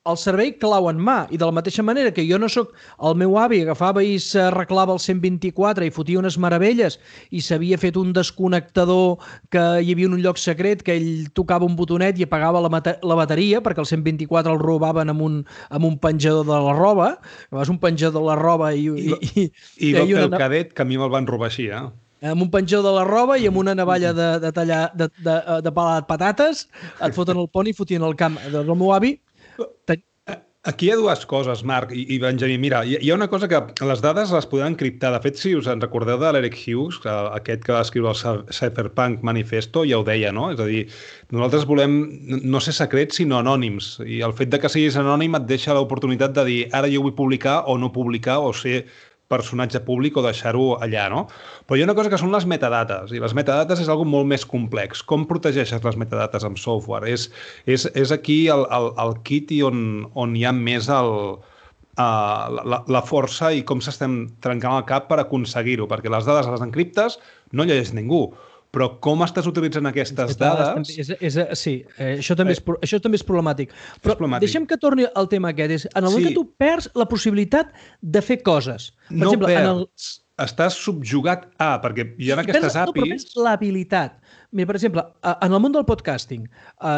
el servei clau en mà, i de la mateixa manera que jo no sóc el meu avi, agafava i s'arreglava el 124 i fotia unes meravelles i s'havia fet un desconnectador que hi havia un lloc secret que ell tocava un botonet i apagava la bateria perquè el 124 el robaven amb un penjador de la roba, vas un penjador de la roba i va fer el cadet que a mi me'l van robar així, amb un penjador de la roba i amb una navalla de tallar de pelar patates et foten el pont i fotien el camp. Doncs el meu avi Aquí hi ha dues coses, Marc i Benjamí. Mira, hi ha una cosa que les dades les podem encriptar. De fet, si us en recordeu de l'Eric Hughes, aquest que va escriure el Cypherpunk Manifesto, ja ho deia, no? És a dir, nosaltres volem no ser secrets, sinó anònims. I el fet de que siguis anònim et deixa l'oportunitat de dir ara jo vull publicar o no publicar o ser personatge públic o deixar-ho allà, no? Però hi ha una cosa que són les metadates, i les metadates és algo molt més complex. Com protegeixes les metadates amb software? És aquí el kit i on hi ha més la força i com s'estem trencant el cap per aconseguir-ho, perquè les dades les encriptes no llegeix ningú. Però com estàs utilitzant aquestes dades... Sí, això també és problemàtic. Però deixem que torni al tema aquest. En el moment que tu perds la possibilitat de fer coses. Per exemple, estàs subjugat a... Perquè hi ha aquestes APIs... No, però perds l'habilitat. Mira, per exemple, en el món del podcasting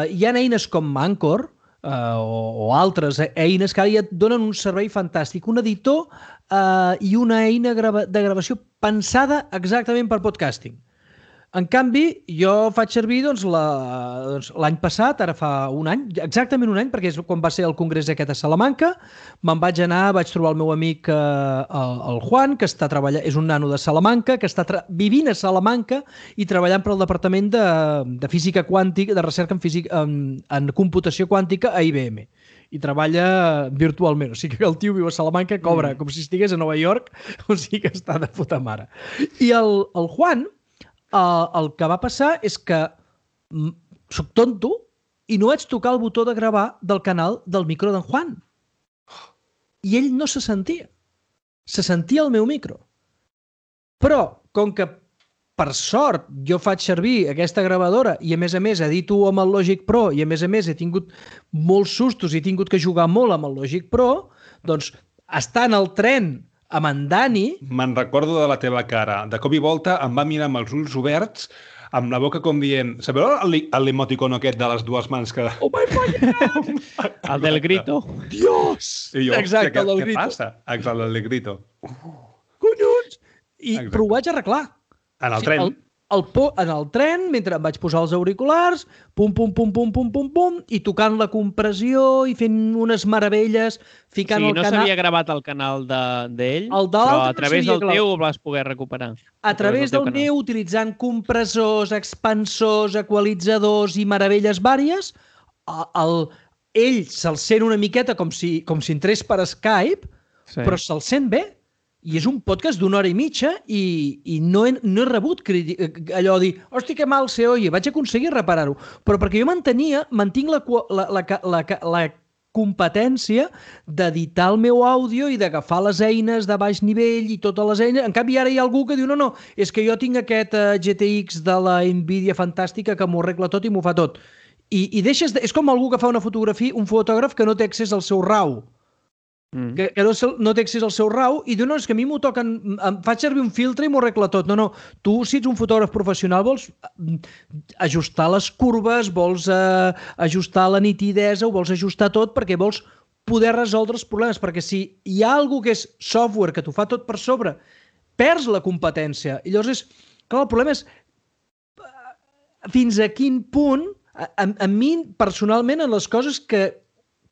hi ha eines com Anchor o altres eines que ara ja et donen un servei fantàstic. Un editor i una eina de gravació pensada exactament per podcasting. En canvi, jo faig servir l'any passat, ara fa un any, exactament un any, perquè és quan va ser el congrés aquest a Salamanca, me'n vaig anar, vaig trobar el meu amic el Juan, que està treballant, és un nano de Salamanca, que està vivint a Salamanca i treballant per al Departament de Física Quàntica, de Recerca en Computació Quàntica a IBM. I treballa virtualment, o sigui que el tio viu a Salamanca, cobra com si estigués a Nova York, o sigui que està de puta mare. I el Juan, el que va passar és que soc tonto i no vaig tocar el botó de gravar del canal del micro d'en Juan. I ell no se sentia. Se sentia el meu micro. Però, com que per sort jo faig servir aquesta gravadora i a més edito amb el Logic Pro i a més he tingut molts sustos i he tingut que jugar molt amb el Logic Pro, doncs estar en el tren amb en Dani... Me'n recordo de la teva cara. De cop i volta em va mirar amb els ulls oberts, amb la boca com dient... Sabeu l'emoticon aquest de les dues mans que... Oh my God! El del grito. Dios! I jo, exacte, el del grito. Què passa? Exacte, el del grito. Collons! Però ho vaig arreglar. En el tren? En el tren, mentre em vaig posar els auriculars, pum, i tocant la compressió i fent unes meravelles, ficant el canal... no s'havia gravat el canal d'ell, però a través del teu ho vas poder recuperar. A través del meu, utilitzant compressors, expansors, equalitzadors i meravelles vàries, ell se'l sent una miqueta com si entrés per Skype, però se'l sent bé. I és un podcast d'una hora i mitja i no he rebut allò de dir, hosti, que mal se oye, vaig aconseguir reparar-ho. Però perquè jo mantinc la competència d'editar el meu àudio i d'agafar les eines de baix nivell i totes les eines. En canvi, ara hi ha algú que diu, no, és que jo tinc aquest GTX de la Nvidia fantàstica que m'ho arregla tot i m'ho fa tot. I deixes... És com algú que fa una fotografia, un fotògraf que no té accés al seu RAW. Que no té accés al seu RAW i diu, no, és que a mi m'ho toquen, em faig servir un filtre i m'ho arregla tot. No, tu si ets un fotògraf professional vols ajustar les curves, vols ajustar la nitidesa, ho vols ajustar tot perquè vols poder resoldre els problemes, perquè si hi ha algú que és software que t'ho fa tot per sobre, perds la competència. I llavors clar, el problema és fins a quin punt a mi personalment en les coses que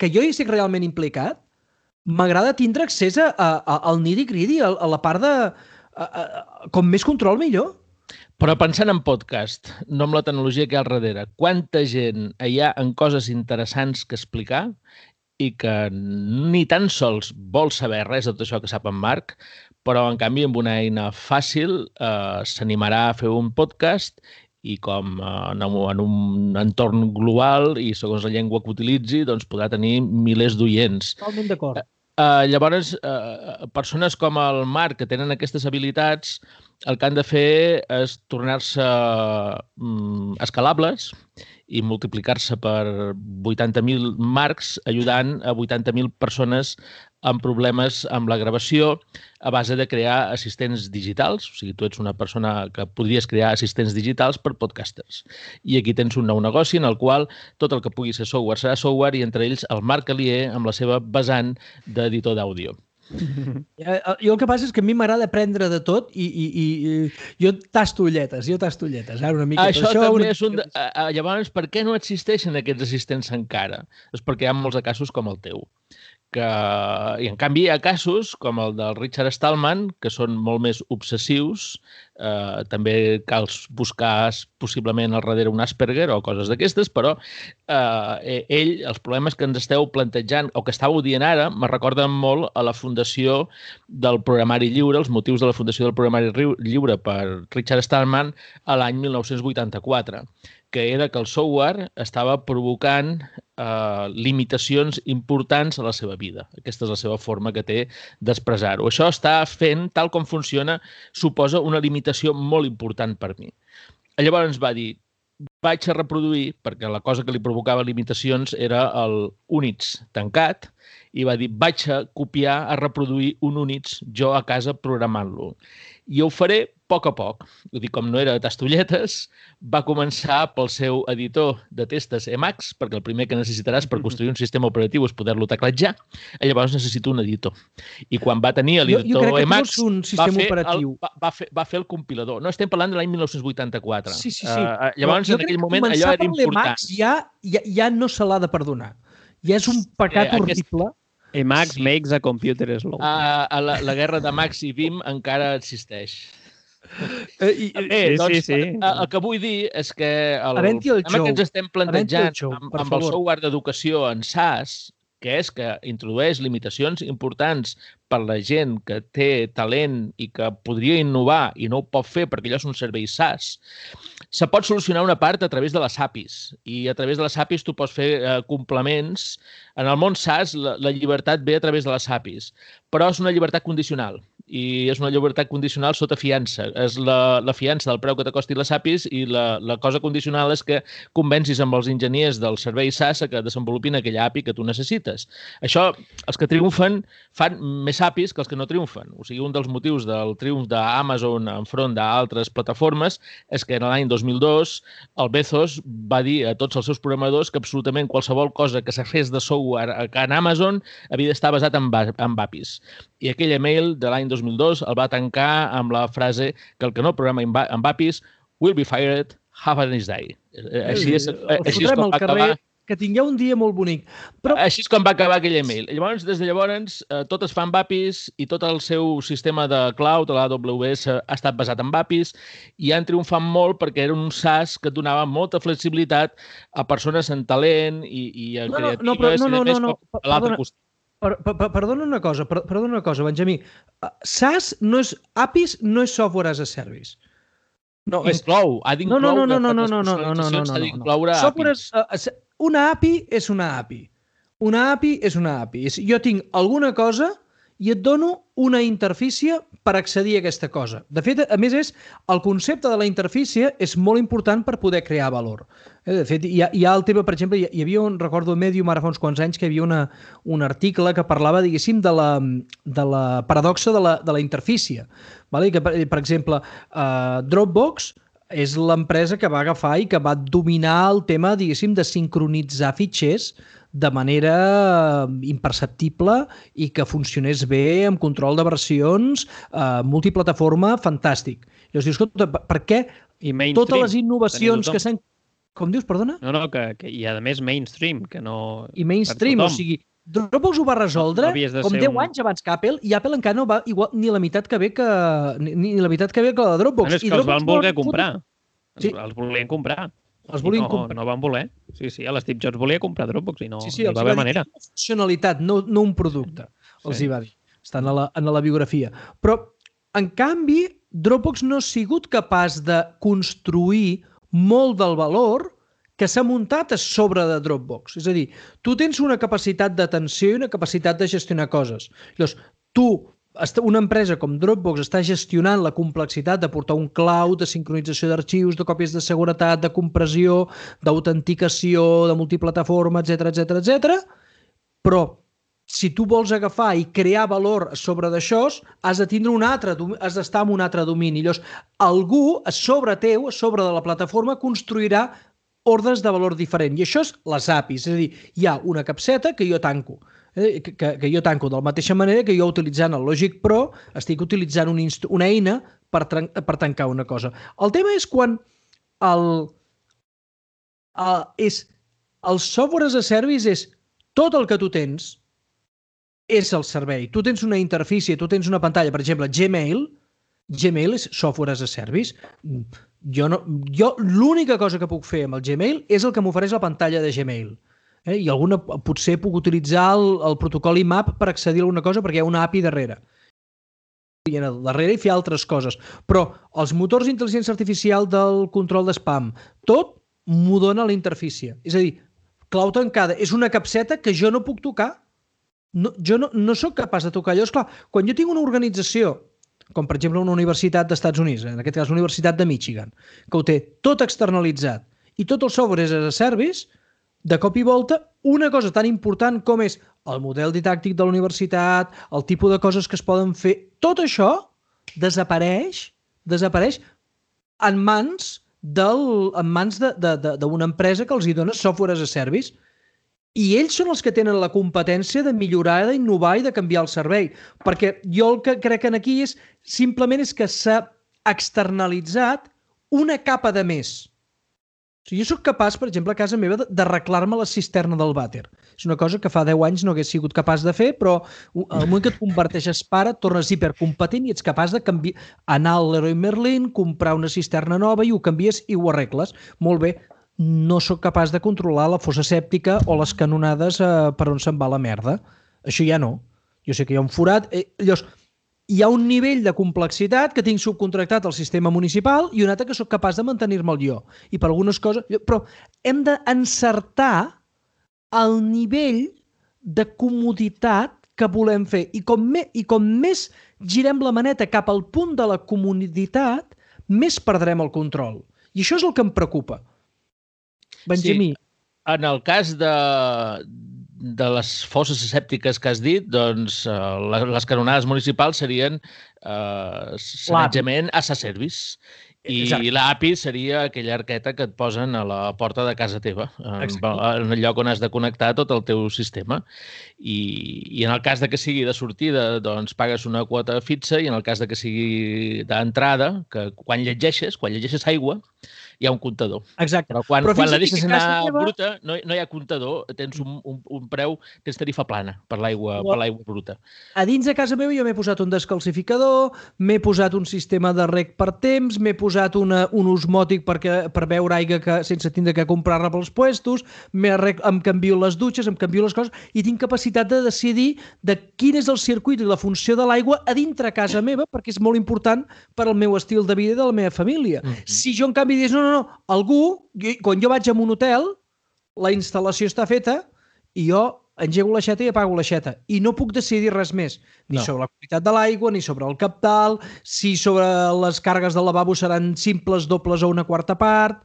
jo hi estic realment implicat m'agrada tindre accés al nitty-gritty, a la part de... com més control, millor. Però pensant en podcast, no amb la tecnologia que hi ha al darrere, quanta gent hi ha en coses interessants que explicar i que ni tan sols vol saber res de tot això que sap en Marc, però en canvi amb una eina fàcil s'animarà a fer un podcast i com en un entorn global i segons la llengua que utilitzi, doncs podrà tenir milers d'oients. Totalment d'acord. Llavors, persones com el Marc, que tenen aquestes habilitats, el que han de fer és tornar-se escalables i multiplicar-se per 80.000 marcs, ajudant a 80.000 persones amb problemes amb la gravació a base de crear assistents digitals. O sigui, tu ets una persona que podries crear assistents digitals per podcasters. I aquí tens un nou negoci en el qual tot el que pugui ser software serà software i entre ells el Marc Alier amb la seva vessant d'editor d'àudio. Jo el que passa és que a mi m'agrada aprendre de tot i jo tasto ulletes. Ara una mica això també és un... Llavors, per què no existeixen aquests assistents encara? És perquè hi ha molts de casos com el teu. I en canvi hi ha casos com el del Richard Stallman, que són molt més obsessius. També cal buscar possiblement al darrere un Asperger o coses d'aquestes, però ell, els problemes que ens esteu plantejant o que estàveu dient ara, me recorden molt a la fundació del programari lliure, els motius de la fundació del programari lliure per Richard Stallman a l'any 1984, que era que el software estava provocant limitacions importants a la seva vida. Aquesta és la seva forma que té d'expressar-ho. Això està fent, tal com funciona, suposa una limitació molt important per mi. Llavors va dir, vaig a reproduir, perquè la cosa que li provocava limitacions era el Unix tancat, i va dir, vaig a copiar, a reproduir un Unix jo a casa programant-lo. I ho faré a poc. Ho dic, com no era de tastolletes, va començar pel seu editor de testes Emacs, perquè el primer que necessitaràs per construir un sistema operatiu és poder-lo teclatjar, i llavors necessito un editor. I quan va tenir l'editor Emacs, va fer el compilador. No, estem parlant de l'any 1984. Sí. Llavors, en aquell moment, allò era important. Ja no se l'ha de perdonar. Ja és un pecat horrible. Emacs makes a computer slow. La guerra de Max i Vim encara existeix. Sí. El que vull dir és que el problema que ens estem plantejant amb el software d'educació en SAS, que és que introdueix limitacions importants per la gent que té talent i que podria innovar i no ho pot fer perquè allò és un servei SaaS, se pot solucionar una part a través de les APIs. I a través de les APIs tu pots fer complements. En el món SaaS la llibertat ve a través de les APIs, però és una llibertat condicional. I és una llibertat condicional sota fiança. És la fiança del preu que t'acosti les APIs i la cosa condicional és que convencis amb els enginyers del servei SaaS que desenvolupin aquella API que tu necessites. Això, els que triomfen fan més APIs que els que no triomfen. O sigui, un dels motius del triomf d'Amazon enfront d'altres plataformes és que en l'any 2002 el Bezos va dir a tots els seus programadors que absolutament qualsevol cosa que se fes de software en Amazon havia d'estar basat en APIs. I aquell email de l'any 2002 el va tancar amb la frase que el que no programa amb APIs will be fired, have a nice day. Així és com va acabar. Que tingueu un dia molt bonic. Però... Així és com va acabar aquell email. Llavors, des de llavors, tot es fa amb APIs i tot el seu sistema de cloud, l'AWS, ha estat basat en APIs i han triomfat molt perquè era un SaaS que donava molta flexibilitat a persones en talent i a creatives a l'altre costat. Perdona una cosa, Benjamí. SaaS no és... APIs no és software as a service. Inclou, ha d'incloure. No. Una API és una API. Una API és una API. Jo tinc alguna cosa i et dono una interfície per accedir a aquesta cosa. De fet, a més, el concepte de la interfície és molt important per poder crear valor. De fet, hi ha el tema, per exemple, hi havia recordo a Medium ara fa uns quants anys que hi havia un article que parlava, diguéssim, de la paradoxa de la interfície. Que, per exemple, Dropbox és l'empresa que va agafar i que va dominar el tema, diguéssim, de sincronitzar fitxers de manera imperceptible i que funcionés bé amb control de versions, multiplataforma, fantàstic. Llavors dius, escolta, per què totes les innovacions que s'han... Com dius, perdona? No, que i a més mainstream, que no... I mainstream, o sigui, Dropbox ho va resoldre com 10 anys abans que Apple i Apple encara no va igual ni la meitat que bé que la de Dropbox. És que els van voler comprar. Els volien comprar. No van voler. Sí, l'Steve Jobs volia comprar Dropbox i no hi va haver manera. Una funcionalitat, no un producte, els hi va dir. Estan en la biografia. Però, en canvi, Dropbox no ha sigut capaç de construir molt del valor que s'ha muntat a sobre de Dropbox. És a dir, tu tens una capacitat d'atenció i una capacitat de gestionar coses. Llavors, tu una empresa com Dropbox està gestionant la complexitat de portar un cloud, de sincronització d'arxius, de còpies de seguretat, de compressió, d'autenticació, de multiplataforma, etc, però si tu vols agafar i crear valor sobre d'això, has de tindre has d'estar en un altre domini. Llavors, algú a sobre teu, a sobre de la plataforma, construirà ordres de valor diferent. I això és les APIs. És a dir, hi ha una capseta que jo tanco. Que jo tanco de la mateixa manera que jo utilitzant el Logic Pro estic utilitzant una eina per tancar una cosa. El tema és quan el software as a service és tot el que tu tens és el servei. Tu tens una interfície, tu tens una pantalla, per exemple, Gmail és software as a service. Jo l'única cosa que puc fer amb el Gmail és el que m'ofereix la pantalla de Gmail. I alguna potser puc utilitzar el protocol IMAP per accedir a alguna cosa perquè hi ha una API darrere. I darrere hi fer altres coses. Però els motors d'intel·ligència artificial del control d'espam, tot m'ho dona la interfície. És a dir, clau tancada. És una capseta que jo no puc tocar. Jo no soc capaç de tocar. Llavors, clar, quan jo tinc una organització, com per exemple una universitat dels Estats Units, en aquest cas la Universitat de Michigan, que ho té tot externalitzat i tot el software és as a service, de cop i volta, una cosa tan important com és el model didàctic de la universitat, el tipus de coses que es poden fer, tot això desapareix en mans d'una empresa que els hi dona software as a service. I ells són els que tenen la competència de millorar, d'innovar i de canviar el servei. Perquè jo el que crec aquí és simplement que s'ha externalitzat una capa de més. O sigui, jo soc capaç, per exemple, a casa meva, d'arreglar-me la cisterna del vàter. És una cosa que fa 10 anys no hagués sigut capaç de fer, però al moment que et converteixes pare, et tornes hipercompetent i ets capaç de anar al Leroy Merlin, comprar una cisterna nova i ho canvies i ho arregles. Molt bé, no sóc capaç de controlar la fossa sèptica o les canonades per on se'n va la merda. Això ja no. Jo sé que hi ha un forat. Llavors, hi ha un nivell de complexitat que tinc subcontractat al sistema municipal i un altre que sóc capaç de mantenir-me'l jo. I per algunes coses... Però hem d'encertar el nivell de comoditat que volem fer. I com més girem la maneta cap al punt de la comoditat, més perdrem el control. I això és el que em preocupa. Benjamí. Sí. En el cas de les fosses asèptiques que has dit, doncs les canonades municipals serien sanejament as a service. I l'API seria aquella arqueta que et posen a la porta de casa teva, en el lloc on has de connectar tot el teu sistema. I en el cas de que sigui de sortida, doncs pagues una quota fixa, i en el cas de que sigui d'entrada, que quan llegeixes aigua, hi ha un comptador. Exacte. Però quan la deixes anar bruta, no hi ha comptador, tens un preu, tens tarifa plana per l'aigua bruta. A dins de casa meva jo m'he posat un descalcificador, m'he posat un sistema de reg per temps, m'he posat un osmòtic per beure aigua sense tindre que comprar-la pels puestos, em canvio les dutxes, em canvio les coses, i tinc capacitat de decidir de quin és el circuit i la funció de l'aigua a dintre casa meva, perquè és molt important per al meu estil de vida i de la meva família. Si jo, en canvi, dius, no, algú, quan jo vaig a un hotel, la instal·lació està feta i jo engego l'aixeta i apago l'aixeta. I no puc decidir res més. Ni sobre la qualitat de l'aigua, ni sobre el cabdal, si sobre les càrregues del lavabo seran simples, dobles o una quarta part.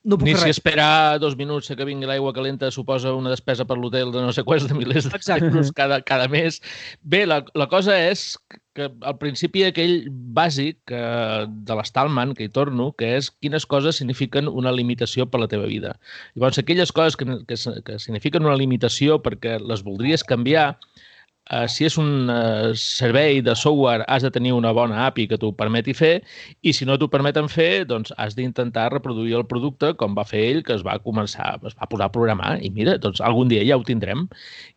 No puc ni fer si res. esperar 2 minuts que vingui l'aigua calenta suposa una despesa per l'hotel de no sé quants de milers d'euros cada mes. Bé, la cosa és que al principi aquell bàsic de l'Stallman, que hi torno, que és quines coses signifiquen una limitació per la teva vida. Llavors, aquelles coses que signifiquen una limitació perquè les voldries canviar, si és un servei de software, has de tenir una bona API que t'ho permeti fer, i si no t'ho permeten fer, doncs has d'intentar reproduir el producte com va fer ell, que es va posar a programar, i mira, doncs algun dia ja ho tindrem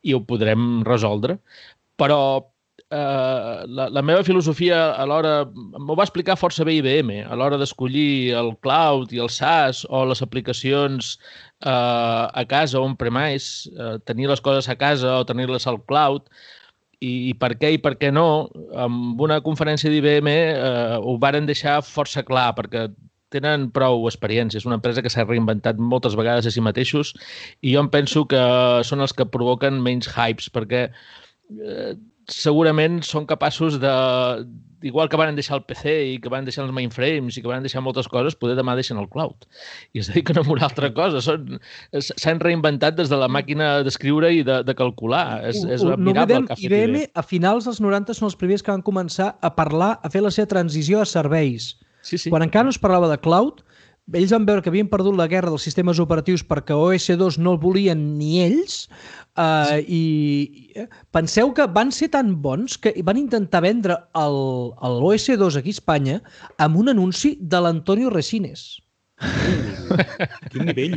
i ho podrem resoldre. Però la meva filosofia a l'hora, m'ho va explicar força bé IBM, a l'hora d'escollir el cloud i el SaaS o les aplicacions a casa on-premise, tenir les coses a casa o tenir-les al cloud, i per què i per què no, amb una conferència d'IBM ho varen deixar força clar, perquè tenen prou experiència. És una empresa que s'ha reinventat moltes vegades a si mateixos, i jo em penso que són els que provoquen menys hypes, perquè segurament són capaços de, igual que van deixar el PC i que van deixar els mainframes i que van deixar moltes coses, poder demà deixen el cloud. I es dediquen a una altra cosa. S'han reinventat des de la màquina d'escriure i de calcular. És admirable el que ha fet IBM. A finals dels 90 són els primers que van començar a parlar, a fer la seva transició a serveis. Sí. Quan encara no es parlava de cloud, ells van veure que havien perdut la guerra dels sistemes operatius perquè OS2 no el volien ni ells, i penseu que van ser tan bons que van intentar vendre l'OS2 aquí a Espanya amb un anunci de l'Antonio Resines. Quin nivell.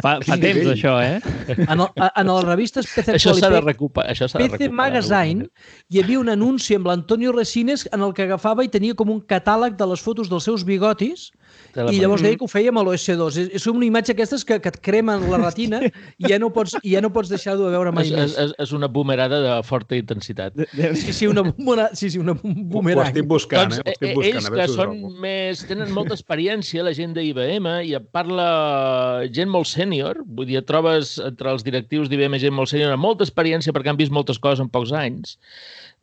Fa temps, això, En les revistes PC Això s'ha de recuperar. PC Magazine hi havia un anunci amb l'Antonio Resines en el que agafava i tenia com un catàleg de les fotos dels seus bigotis i llavors deia que ho feia amb l'OS2. És una imatge aquestes que et cremen la retina i ja no pots deixar-ho de veure mai més. És una boomerada de forta intensitat. Sí, una boomerang. Ho estic buscant, Ells que tenen molta experiència, la gent d'IBM, i et parla gent molt sènior, vull dir, et trobes entre els directius d'IBM gent molt sènior amb molta experiència perquè han vist moltes coses en pocs anys.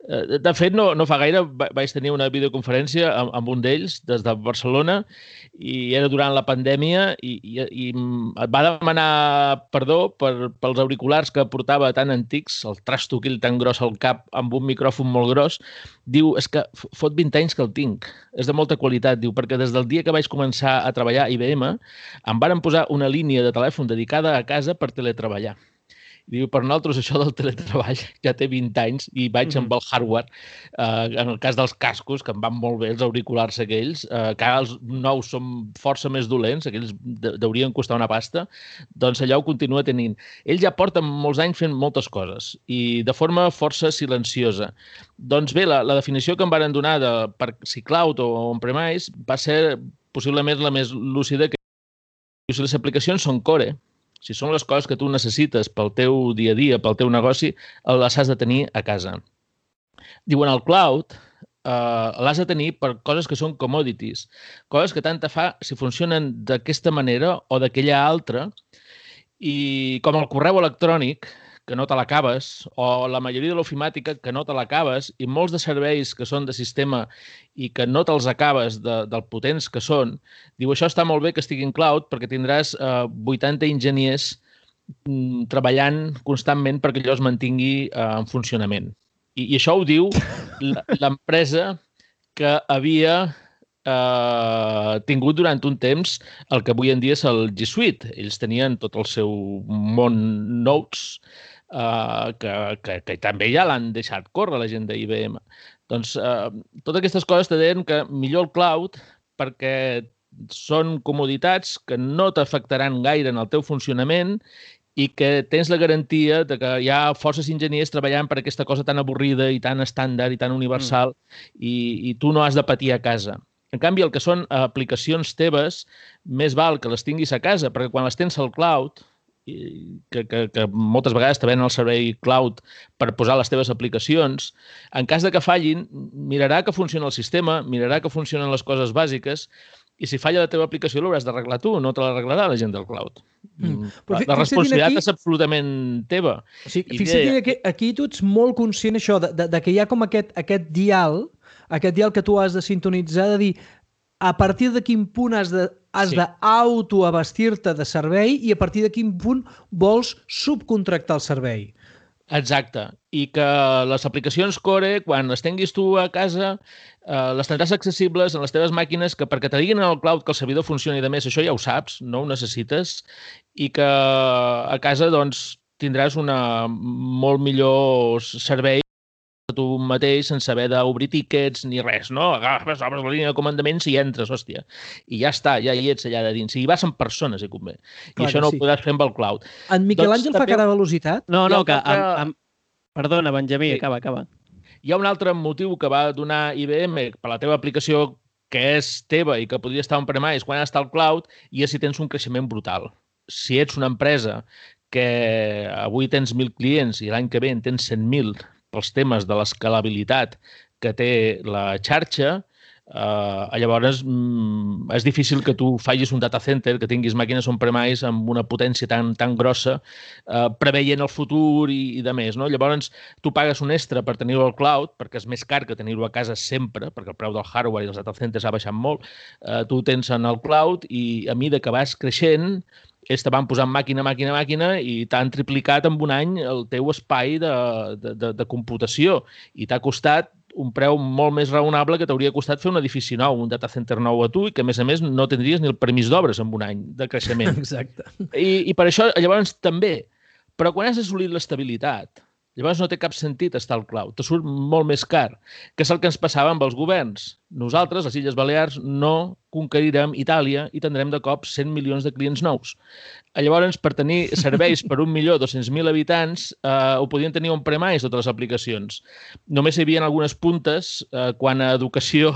De fet, no fa gaire vaig tenir una videoconferència amb un d'ells des de Barcelona i era durant la pandèmia i et va demanar perdó pels auriculars que portava tan antics, el trasto aquell tan gros al cap amb un micròfon molt gros. Diu, és que fot 20 anys que el tinc, és de molta qualitat, diu, perquè des del dia que vaig començar a treballar a IBM em varen posar una línia de telèfon dedicada a casa per teletreballar. Diu, per nosaltres això del teletreball ja té 20 anys i vaig amb el hardware, en el cas dels cascos, que em van molt bé, els auriculars aquells, que ara els nous són força més dolents, aquells deurien costar una pasta, doncs allò ho continua tenint. Ells ja porten molts anys fent moltes coses i de forma força silenciosa. Doncs bé, la definició que em varen donar de per si cloud o on-premise va ser possiblement la més lúcida, que si les aplicacions són core, si són les coses que tu necessites pel teu dia a dia, pel teu negoci, les has de tenir a casa. Diuen, el cloud l'has de tenir per coses que són commodities, coses que tant te fa si funcionen d'aquesta manera o d'aquella altra, i com el correu electrònic, que no te l'acabes, o la majoria de l'ofimàtica, que no te l'acabes, i molts de serveis que són de sistema i que no te'ls acabes del potents que són, diu, això està molt bé que estigui en cloud perquè tindràs 80 enginyers treballant constantment perquè allò es mantingui en funcionament. I això ho diu l'empresa que havia tingut durant un temps el que avui en dia és el G Suite. Ells tenien tot el seu món Notes, que també ja l'han deixat córrer la gent d'IBM. Doncs totes aquestes coses te deien que millor el cloud perquè són comoditats que no t'afectaran gaire en el teu funcionament i que tens la garantia de que hi ha forces enginyers treballant per aquesta cosa tan avorrida i tan estàndard i tan universal i tu no has de patir a casa. En canvi, el que són aplicacions teves, més val que les tinguis a casa, perquè quan les tens al cloud, que moltes vegades te venen el servei cloud per posar les teves aplicacions, en cas de que fallin, mirarà que funciona el sistema, mirarà que funcionen les coses bàsiques, i si falla la teva aplicació l'hauràs d'arreglar tu, no te l'arreglarà la gent del cloud. La responsabilitat és absolutament teva. Fixa't que aquí tu ets molt conscient això, de que hi ha com aquest dial que tu has de sintonitzar, de dir a partir de quin punt has d'autoabastir-te de servei i a partir de quin punt vols subcontractar el servei. Exacte. I que les aplicacions core, quan les tinguis tu a casa, les tindràs accessibles en les teves màquines, que perquè te diguin en el cloud que el servidor funcioni de més, això ja ho saps, no ho necessites, i que a casa doncs, tindràs un molt millor servei tu mateix sense haver d'obrir tíquets ni res, no? Agafes, obres la línia de comandaments i entres, hòstia. I ja està, ja hi ets allà de dins. I hi vas amb persones, si convé. I això no ho podràs fer amb el cloud. En Miquel Àngel fa cara de velocitat? No, que... Perdona, Benjamí, acaba. Hi ha un altre motiu que va donar IBM per la teva aplicació que és teva i que podria estar on-premise quan està al cloud, i és si tens un creixement brutal. Si ets una empresa que avui tens 1.000 clients i l'any que ve en tens 100.000 pels temes de l'escalabilitat que té la xarxa, Llavors, és difícil que tu facis un data center, que tinguis màquines on-premise amb una potència tan grossa, preveient el futur i de més, no? Llavors, tu pagues un extra per tenir-ho al cloud, perquè és més car que tenir-ho a casa sempre, perquè el preu del hardware i dels data centers ha baixat molt. Tu ho tens en el cloud i a mesura que vas creixent, ells te van posant màquina i t'han triplicat en un any el teu espai de computació i t'ha costat un preu molt més raonable que t'hauria costat fer un edifici nou, un data center nou a tu i que, a més, no tindries ni el permís d'obres en un any de creixement. Exacte. I per això, llavors, també. Però quan has assolit l'estabilitat, llavors no té cap sentit estar al cloud. Te surt molt més car, que és el que ens passava amb els governs. Nosaltres, les Illes Balears, no conquerirem Itàlia i tindrem de cop 100 milions de clients nous. Llavors, per tenir serveis per 1.200.000 habitants, ho podien tenir on-premise totes les aplicacions. Només hi havia algunes puntes quan a educació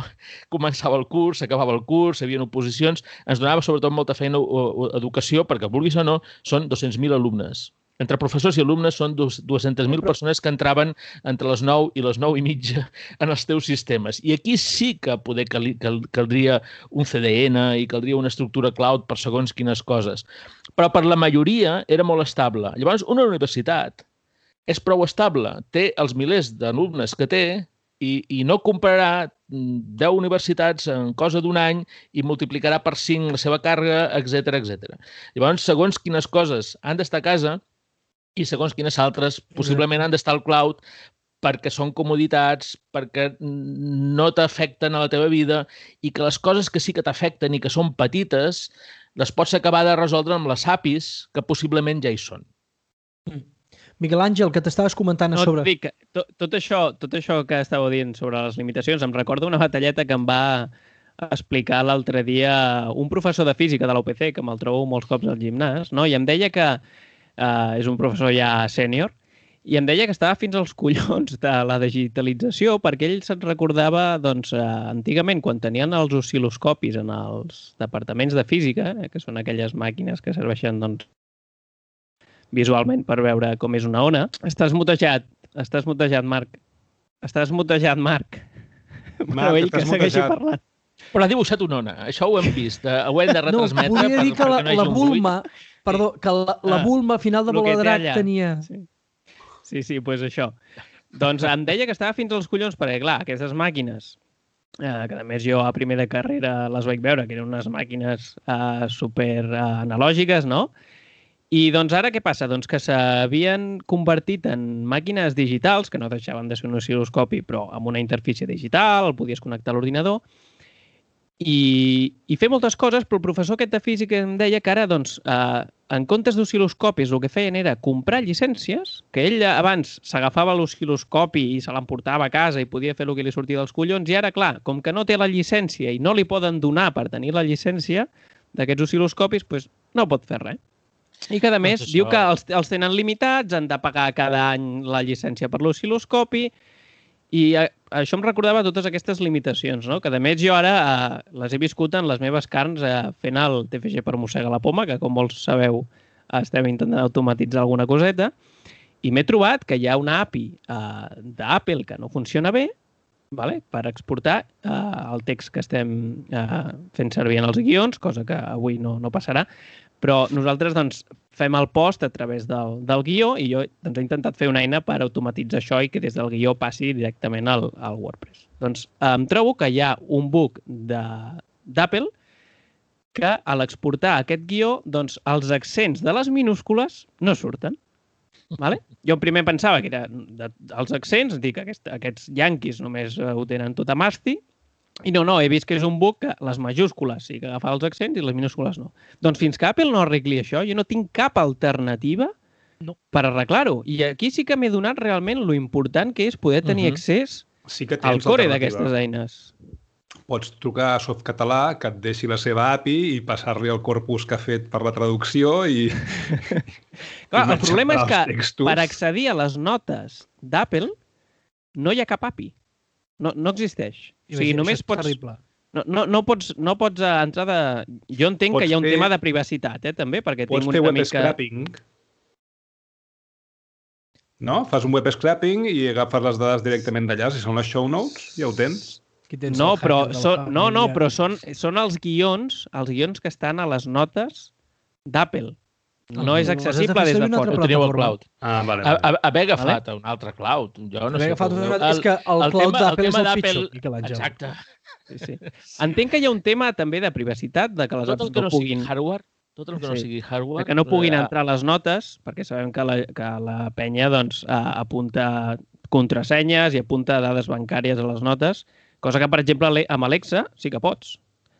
començava el curs, s'acabava el curs, hi havia oposicions. Ens donava sobretot molta feina a educació perquè, vulguis o no, són 200.000 alumnes. Entre professors i alumnes són 200.000 persones que entraven entre les 9 i les 9:30 en els teus sistemes. I aquí sí que poder caldria un CDN i caldria una estructura cloud per segons quines coses. Però per la majoria era molt estable. Llavors, una universitat és prou estable. Té els milers d'alumnes que té i no comprarà 10 universitats en cosa d'un any i multiplicarà per 5 la seva càrrega, etc. Llavors, segons quines coses han d'estar a casa, i segons quines altres possiblement han d'estar al cloud perquè són comoditats, perquè no t'afecten a la teva vida i que les coses que sí que t'afecten i que són petites les pots acabar de resoldre amb les APIs que possiblement ja hi són. Miquel Àngel, que t'estaves comentant sobre... Dic, tot això que estàveu dient sobre les limitacions em recorda una batalleta que em va explicar l'altre dia un professor de física de la UPC, que me'l trobo molts cops al gimnàs, no? I em deia que és un professor ja sènior, i em deia que estava fins als collons de la digitalització perquè ell se'n recordava, doncs, antigament, quan tenien els oscil·loscopis en els departaments de física, que són aquelles màquines que serveixen, doncs, visualment per veure com és una ona. Estàs mutejat, Marc. Estàs mutejat, Marc. Però ell que segueixi parlant. Però ha dibuixat una ona. Això ho hem vist. Ho hem de retransmetre. No, volia dir que la Bulma... Perdó, que la Bulma a final de Baladrac tenia... Sí, doncs això. Doncs em deia que estava fins als collons perquè, clar, aquestes màquines, que a més jo a primer de carrera les vaig veure, que eren unes màquines super analògiques, no? I doncs ara què passa? Doncs que s'havien convertit en màquines digitals, que no deixaven de ser un oscil·loscopi, però amb una interfície digital, el podies connectar a l'ordinador, i fer moltes coses, però el professor aquest de física em deia que ara, doncs, en comptes d'oscil·loscopis, el que feien era comprar llicències, que ell abans s'agafava l'oscil·loscopi i se l'emportava a casa i podia fer el que li sortia dels collons, i ara, clar, com que no té la llicència i no li poden donar per tenir la llicència d'aquests oscil·loscopis, doncs no pot fer res. I que, a més, diu que els tenen limitats, han de pagar cada any la llicència per l'oscil·loscopi, i això em recordava totes aquestes limitacions, no? Que, a més, jo ara les he viscut en les meves carns fent el TFG per mossegar la poma, que, com molts sabeu, estem intentant automatitzar alguna coseta, i m'he trobat que hi ha una API d'Apple que no funciona bé, per exportar el text que estem fent servir en els guions, cosa que avui no passarà, però nosaltres doncs, fem el post a través del guió i jo doncs, he intentat fer una eina per automatitzar això i que des del guió passi directament al WordPress. Doncs em trobo que hi ha un bug d'Apple que a l'exportar aquest guió doncs, els accents de les minúscules no surten. Vale? Jo primer pensava que eren els accents, dic, aquests yanquis només ho tenen tot a masti, i no, he vist que és un bug que les majúscules sí que agafa els accents i les minúscules no. Doncs fins que Apple no arregli això, jo no tinc cap alternativa per arreglar-ho. I aquí sí que m'he donat realment lo important que és poder tenir accés al core d'aquestes eines. Pots trucar a Softcatalà, que et deixi la seva API i passar-li el corpus que ha fet per la traducció i... Clar, el problema és que per accedir a les notes d'Apple no hi ha cap API. No existeix. O sigui, només pots... No pots entrar de... Jo entenc que hi ha un tema de privacitat, també, perquè tinc una mica... Pots fer web scraping. No? Fas un web scraping i agafes les dades directament d'allà. Si són les show notes, ja ho tens. No, però són els guions que estan a les notes d'Apple. No és accessible des de fora. Ho teníeu al cloud. Vale. Haver agafat un altre cloud. Jo no sé. És que el cloud d'Apple és el pitjor, Miquel Àngel. Exacte. Sí. Entenc que hi ha un tema també de privacitat, de que les apps no puguin... Tot el que no sigui hardware... Que no puguin entrar les notes, perquè sabem que la penya apunta contrasenyes i apunta dades bancàries a les notes, cosa que, per exemple, amb Alexa sí que pots.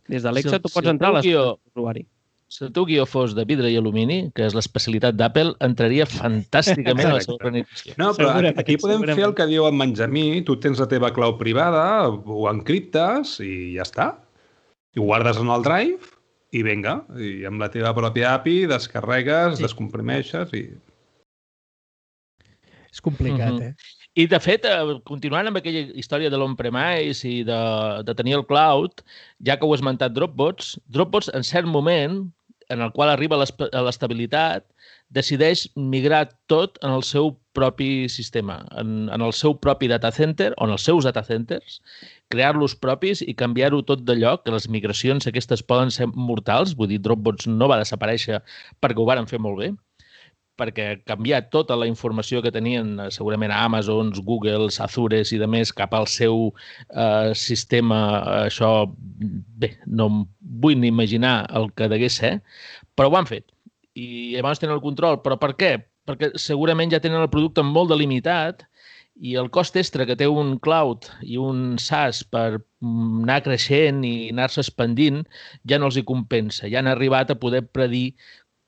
Des d'Alexa tu pots entrar a les notes d'usuari. Si el teu guió fos de vidre i alumini, que és l'especialitat d'Apple, entraria fantàsticament a la seva organització. No, però aquí podem fer el que diu en Benjamí. Tu tens la teva clau privada, ho encriptes i ja està. I ho guardes en el Drive i vinga. I amb la teva pròpia API descarregues, descomprimeixes i... És complicat, I, de fet, continuant amb aquella història de l'on-premise i de tenir el cloud, ja que ho he esmentat Dropbox, en cert moment, en el qual arriba a l'estabilitat, decideix migrar tot en el seu propi sistema, en el seu propi data center, o en els seus data centers, crear-los propis i canviar-ho tot de lloc, que les migracions aquestes poden ser mortals, vull dir, Dropbox no va desaparèixer perquè ho varen fer molt bé, perquè canviar tota la informació que tenien segurament a Amazon, Google, Azure i de més cap al seu sistema, això, bé, no em vull ni imaginar el que degués ser, però ho han fet. I llavors tenen el control. Però per què? Perquè segurament ja tenen el producte molt delimitat i el cost extra que té un cloud i un SaaS per anar creixent i anar-se expandint ja no els hi compensa. Ja han arribat a poder predir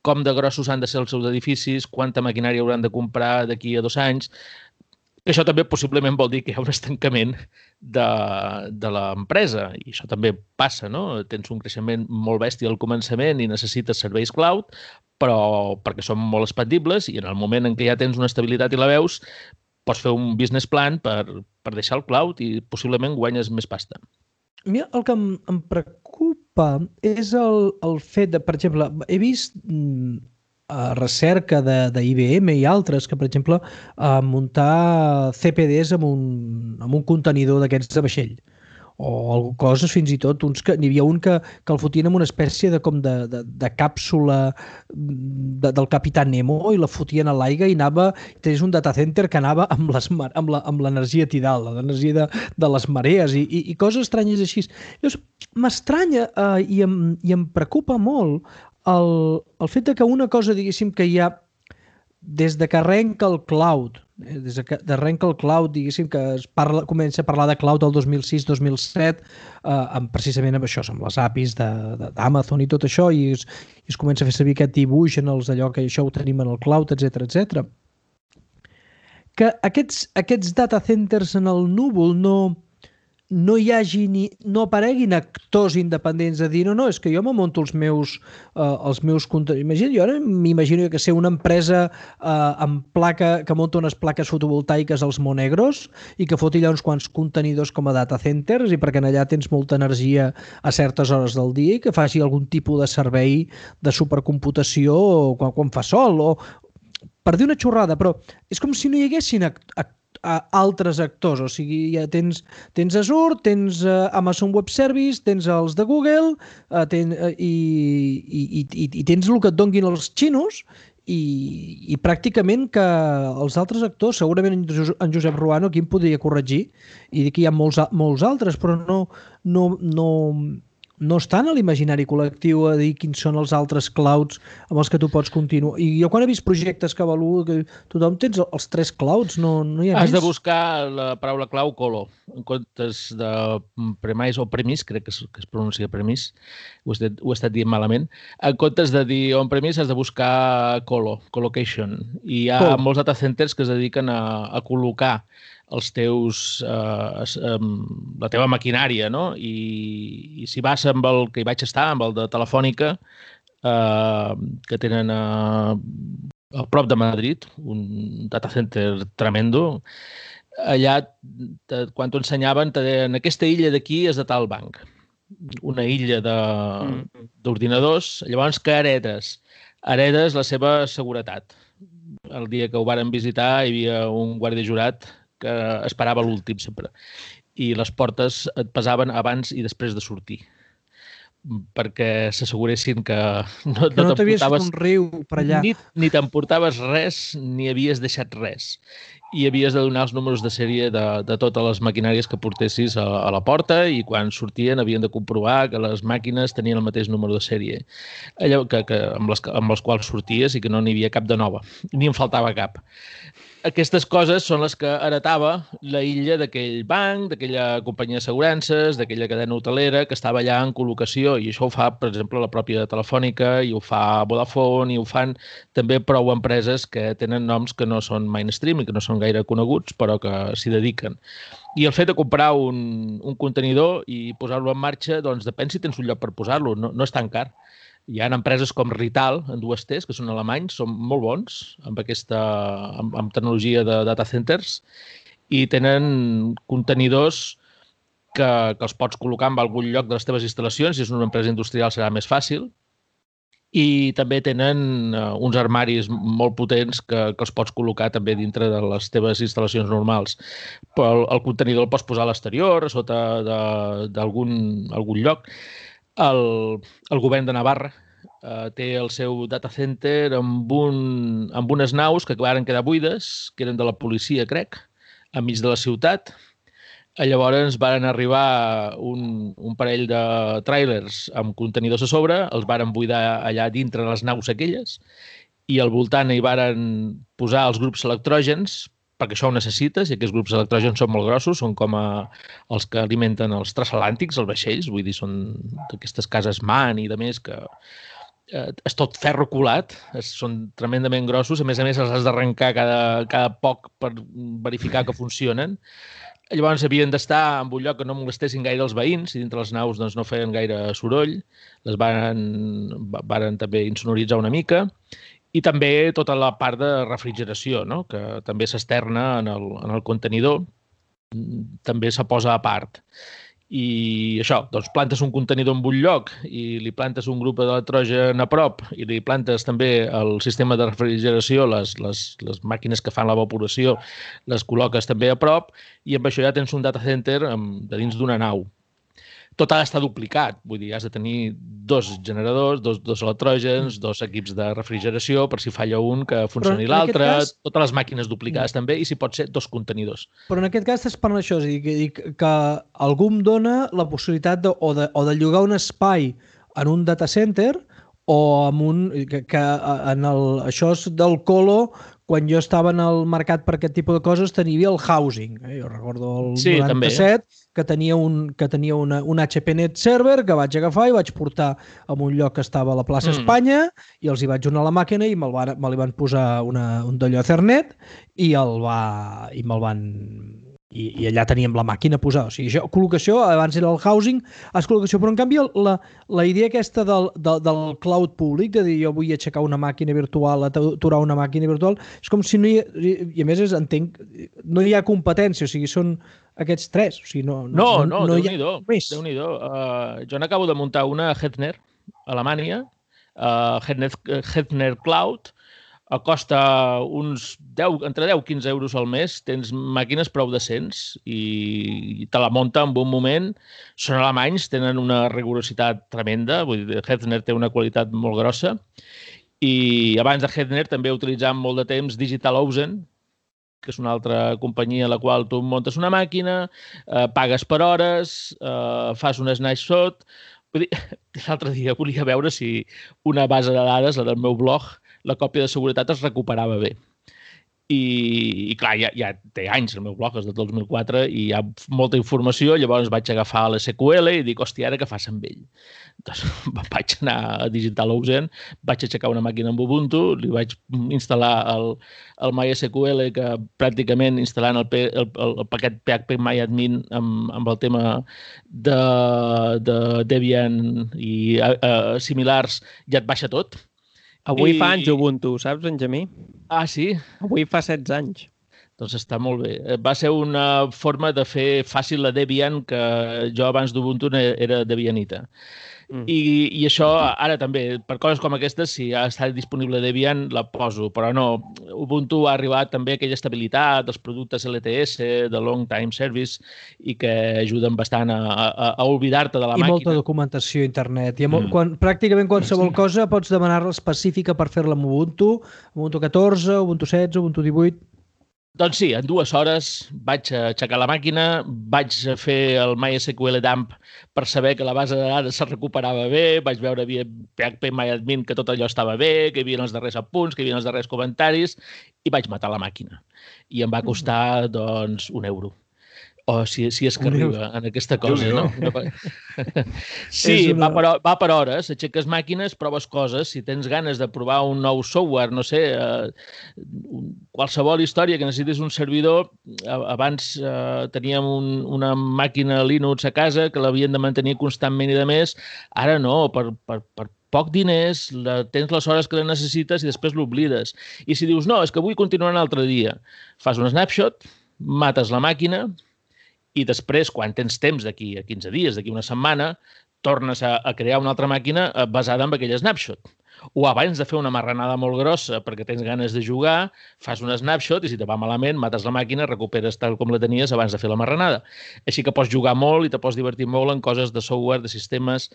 com de grossos han de ser els seus edificis, quanta maquinària hauran de comprar d'aquí a 2 anys. Això també possiblement vol dir que hi ha un estancament de l'empresa. I això també passa, no? Tens un creixement molt bèstia al començament i necessites serveis cloud, però perquè són molt expandibles i en el moment en què ja tens una estabilitat i la veus, pots fer un business plan per deixar el cloud i possiblement guanyes més pasta. Mira, el que em preocupa és el fet de, per exemple, he vist recerca d'IBM i altres que, per exemple, muntar CPDs amb un contenidor d'aquests de vaixell. O coses fins i tot, n'hi havia un que el fotien amb una espècie de càpsula del Capitán Nemo i la fotien a l'aigua i tenies un data center que anava amb l'energia tidal, l'energia de les marees i coses estranyes així. Llavors, m'estranya i em preocupa molt el fet que una cosa, diguéssim, que hi ha des de que arrenca el cloud, diguéssim, que comença a parlar de cloud el 2006-2007, precisament amb això, amb les APIs d'Amazon i tot això, i es comença a fer servir aquest dibuix en allò que això ho tenim en el cloud, etc. Que aquests data centers en el núvol no hi hagi no apareguin actors independents a dir no, és que jo me monto els meus contenidors. Jo ara m'imagino que ser una empresa amb placa que munta unes plaques fotovoltaiques als Monegros i que foti allà uns quants contenidors com a data centers i perquè allà tens molta energia a certes hores del dia i que faci algun tipus de servei de supercomputació quan fa sol o per dir una xorrada, però és com si no hi haguessin altres actors, o sigui, ja tens Azure, tens Amazon Web Service, tens els de Google i tens el que et donguin els xinos i pràcticament que els altres actors, segurament en Josep Ruano aquí em podria corregir i dir que hi ha molts altres, però no estan a l'imaginari col·lectiu a dir quins són els altres clouds amb els que tu pots continuar. I jo quan he vist projectes que avaluo, que tothom tens els 3 clouds, no hi ha més. Has de buscar la paraula clau colo, en comptes de premise o premise, crec que es pronuncia premise, ho he estat dient malament. En comptes de dir on-premise has de buscar colocation. I hi ha molts data centers que es dediquen a col·locar els teus, la teva maquinària, no? I si vas amb el que hi vaig estar, amb el de Telefònica, que tenen a prop de Madrid, un data center tremendo, allà, quan t'ho ensenyaven, te deien, aquesta illa d'aquí és de tal banc, una illa d'ordinadors, llavors que heredes la seva seguretat. El dia que ho varen visitar hi havia un guàrdia jurat que esperava l'últim sempre. i les portes et pesaven abans i després de sortir, perquè s'asseguressin que no t'havies fet un riu per allà. Ni t'emportaves res, ni havies deixat res. I havies de donar els números de sèrie de totes les maquinàries que portessis a la porta i quan sortien havien de comprovar que les màquines tenien el mateix número de sèrie amb les quals sorties i que no n'hi havia cap de nova, ni en faltava cap. Aquestes coses són les que heretava la illa d'aquell banc, d'aquella companyia d'assegurances, d'aquella cadena hotelera que estava allà en col·locació, i això ho fa, per exemple, la pròpia Telefònica, i ho fa Vodafone, i ho fan també prou empreses que tenen noms que no són mainstream i que no són gaire coneguts, però que s'hi dediquen. I el fet de comprar un contenidor i posar-lo en marxa, doncs depèn si tens un lloc per posar-lo, no és tan car. Hi ha empreses com Rital, en dues T's, que són alemanys, són molt bons amb tecnologia de data centers i tenen contenidors que els pots col·locar en algun lloc de les teves instal·lacions. Si és una empresa industrial serà més fàcil. I també tenen uns armaris molt potents que els pots col·locar també dintre de les teves instal·lacions normals. Però el contenidor el pots posar a l'exterior, a sota d'algun lloc. El govern de Navarra té el seu data center amb unes naus que varen quedar buides, que eren de la policia, crec, enmig de la ciutat. Llavors varen arribar un parell de tràilers amb contenidors a sobre, els varen buidar allà dintre les naus aquelles i al voltant hi varen posar els grups electrògens, perquè això ho necessites, i aquests grups electrògens són molt grossos, són com els que alimenten els transatlàntics, els vaixells, vull dir, són d'aquestes cases MAN i de més que és tot ferro colat, són tremendament grossos, a més els has d'arrencar cada poc per verificar que funcionen. Llavors havien d'estar en un lloc que no molestessin gaire els veïns, i dintre les naus doncs, no feien gaire soroll, les varen també insonoritzar una mica, i també tota la part de refrigeració, no? Que també s'externa en el contenidor, també se posa a part. I això, doncs plantes un contenidor en un lloc i li plantes un grup d'electrogen a prop i li plantes també el sistema de refrigeració, les màquines que fan l'evaporació, les col·loques també a prop i amb això ja tens un data center de dins d'una nau. Tot ha d'estar duplicat, vull dir, has de tenir 2 generadors, dos electrògens, 2 equips de refrigeració, per si falla un que funcioni l'altre, totes les màquines duplicades també, i si pot ser 2 contenidors. Però en aquest cas estàs parlant d'això, és a dir, que algú em dona la possibilitat de llogar un espai en un data center o amb això és del Colo. Quan jo estava en el mercat per aquest tipus de coses tenia el housing. Jo recordo el 97 que tenia un HPNet server que vaig agafar i vaig portar a un lloc que estava a la plaça Espanya i els hi vaig donar la màquina i me li van posar un d'allò Ethernet i me'l van... I allà teníem la màquina posada. O sigui, això, col·locació, abans era el housing, és col·locació, però en canvi la idea aquesta del cloud públic, de dir jo vull aixecar una màquina virtual, aturar una màquina virtual, és com si no hi ha, i a més entenc, no hi ha competència, o sigui, són aquests 3. O sigui, no Déu-n'hi-do. Jo n'acabo de muntar una a Hetzner, a Alemanya, Hetzner Cloud, costa entre 10 i 15 euros al mes, tens màquines prou decents i te la munta en un moment. Són alemanys, tenen una rigorositat tremenda, vull dir, Hetzner té una qualitat molt grossa i abans de Hetzner també utilitzàvem molt de temps DigitalOcean, que és una altra companyia a la qual tu muntes una màquina, pagues per hores, fas un snapshot. Vull dir, l'altre dia volia veure si una base de dades, la del meu blog, la còpia de seguretat es recuperava bé. I clar, ja té anys, el meu blog és del 2004 i hi ha molta informació, llavors vaig agafar l'SQL i dic, hòstia, ara què fas amb ell? Doncs vaig anar a DigitalOcean, vaig aixecar una màquina amb Ubuntu, li vaig instal·lar el MySQL, que pràcticament instal·lant el paquet PHP MyAdmin amb el tema de Debian i similars, ja et baixa tot. Avui fa anys Ubuntu, saps, Benjamí? Ah, sí? Avui fa 16 anys. Doncs està molt bé. Va ser una forma de fer fàcil la Debian, que jo abans d'Ubuntu era Debianita. I això, ara també, per coses com aquestes, si ha estat disponible Debian, la poso, però no. Ubuntu ha arribat també a aquella estabilitat dels productes LTS, de Long Time Service, i que ajuden bastant a oblidar-te de la màquina. I molta documentació a internet. Pràcticament qualsevol cosa pots demanar-la específica per fer-la amb Ubuntu, Ubuntu 14, Ubuntu 16, Ubuntu 18... Doncs sí, en 2 hores vaig aixecar la màquina, vaig fer el MySQL dump per saber que la base de dades se recuperava bé, vaig veure via phpMyAdmin que tot allò estava bé, que hi havia els darrers apunts, que hi havia els darrers comentaris, i vaig matar la màquina. I em va costar, doncs, €1. O si és que arriba en aquesta cosa, no? Sí, va per hores, aixeques màquines, proves coses, si tens ganes de provar un nou software, no sé, qualsevol història que necessitis un servidor, abans teníem una màquina Linux a casa que l'havien de mantenir constantment i de més, ara no, per poc diners, tens les hores que la necessites i després l'oblides. I si dius, no, és que vull continuar un altre dia, fas un snapshot, mates la màquina, i després, quan tens temps d'aquí a 15 dies, d'aquí una setmana, tornes a crear una altra màquina basada en aquell snapshot. O abans de fer una marranada molt grossa perquè tens ganes de jugar, fas un snapshot i si te va malament, mates la màquina, recuperes tal com la tenies abans de fer la marranada. Així que pots jugar molt i te pots divertir molt en coses de software, de sistemes.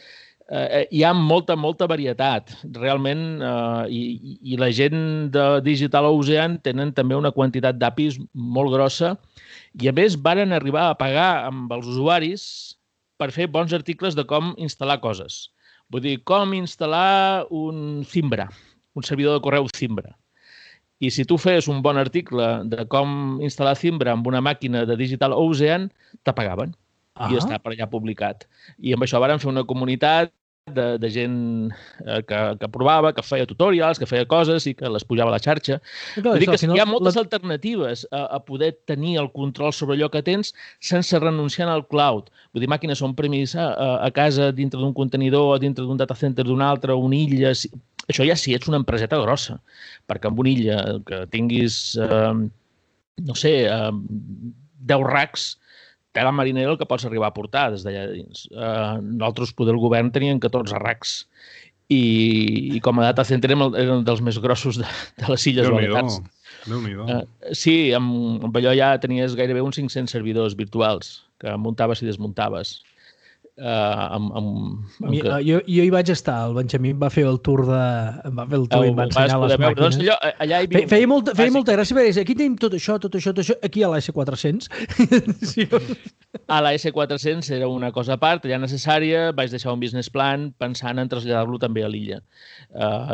Hi ha molta varietat. Realment, i la gent de Digital Ocean tenen també una quantitat d'APIs molt grossa i, a més, varen arribar a pagar amb els usuaris per fer bons articles de com instal·lar coses. Vull dir, com instal·lar un Zimbra, un servidor de correu Zimbra. I si tu fes un bon article de com instal·lar Zimbra amb una màquina de Digital Ocean, te pagaven. I està per allà publicat. I amb això varen fer una comunitat de gent que provava, que feia tutorials, que feia coses i que les pujava a la xarxa. Vull dir que hi ha moltes alternatives a poder tenir el control sobre allò que tens sense renunciar al cloud. Vull dir, màquines on-premise a casa dintre d'un contenidor o dintre d'un data center d'un altre, una illa... Això ja sí, ets una empreseta grossa, perquè amb una illa que tinguis, no sé, 10 racks, tela marinera el que pots arribar a portar des d'allà dins. Nosaltres, poder el govern, tenien 14 racks i com a data center eren dels més grossos de les Illes Balears. Déu-n'hi-do. Sí, amb allò ja tenies gairebé uns 500 servidors virtuals que muntaves i desmuntaves. Jo hi vaig estar, el Benjamí em va fer el tour i em va ensenyar les màquines. Feia molta gràcia, perquè aquí tenim tot això, aquí a l'S400. A l'S400 era una cosa a part, ja necessària, vaig deixar un business plan pensant en traslladar-lo també a l'illa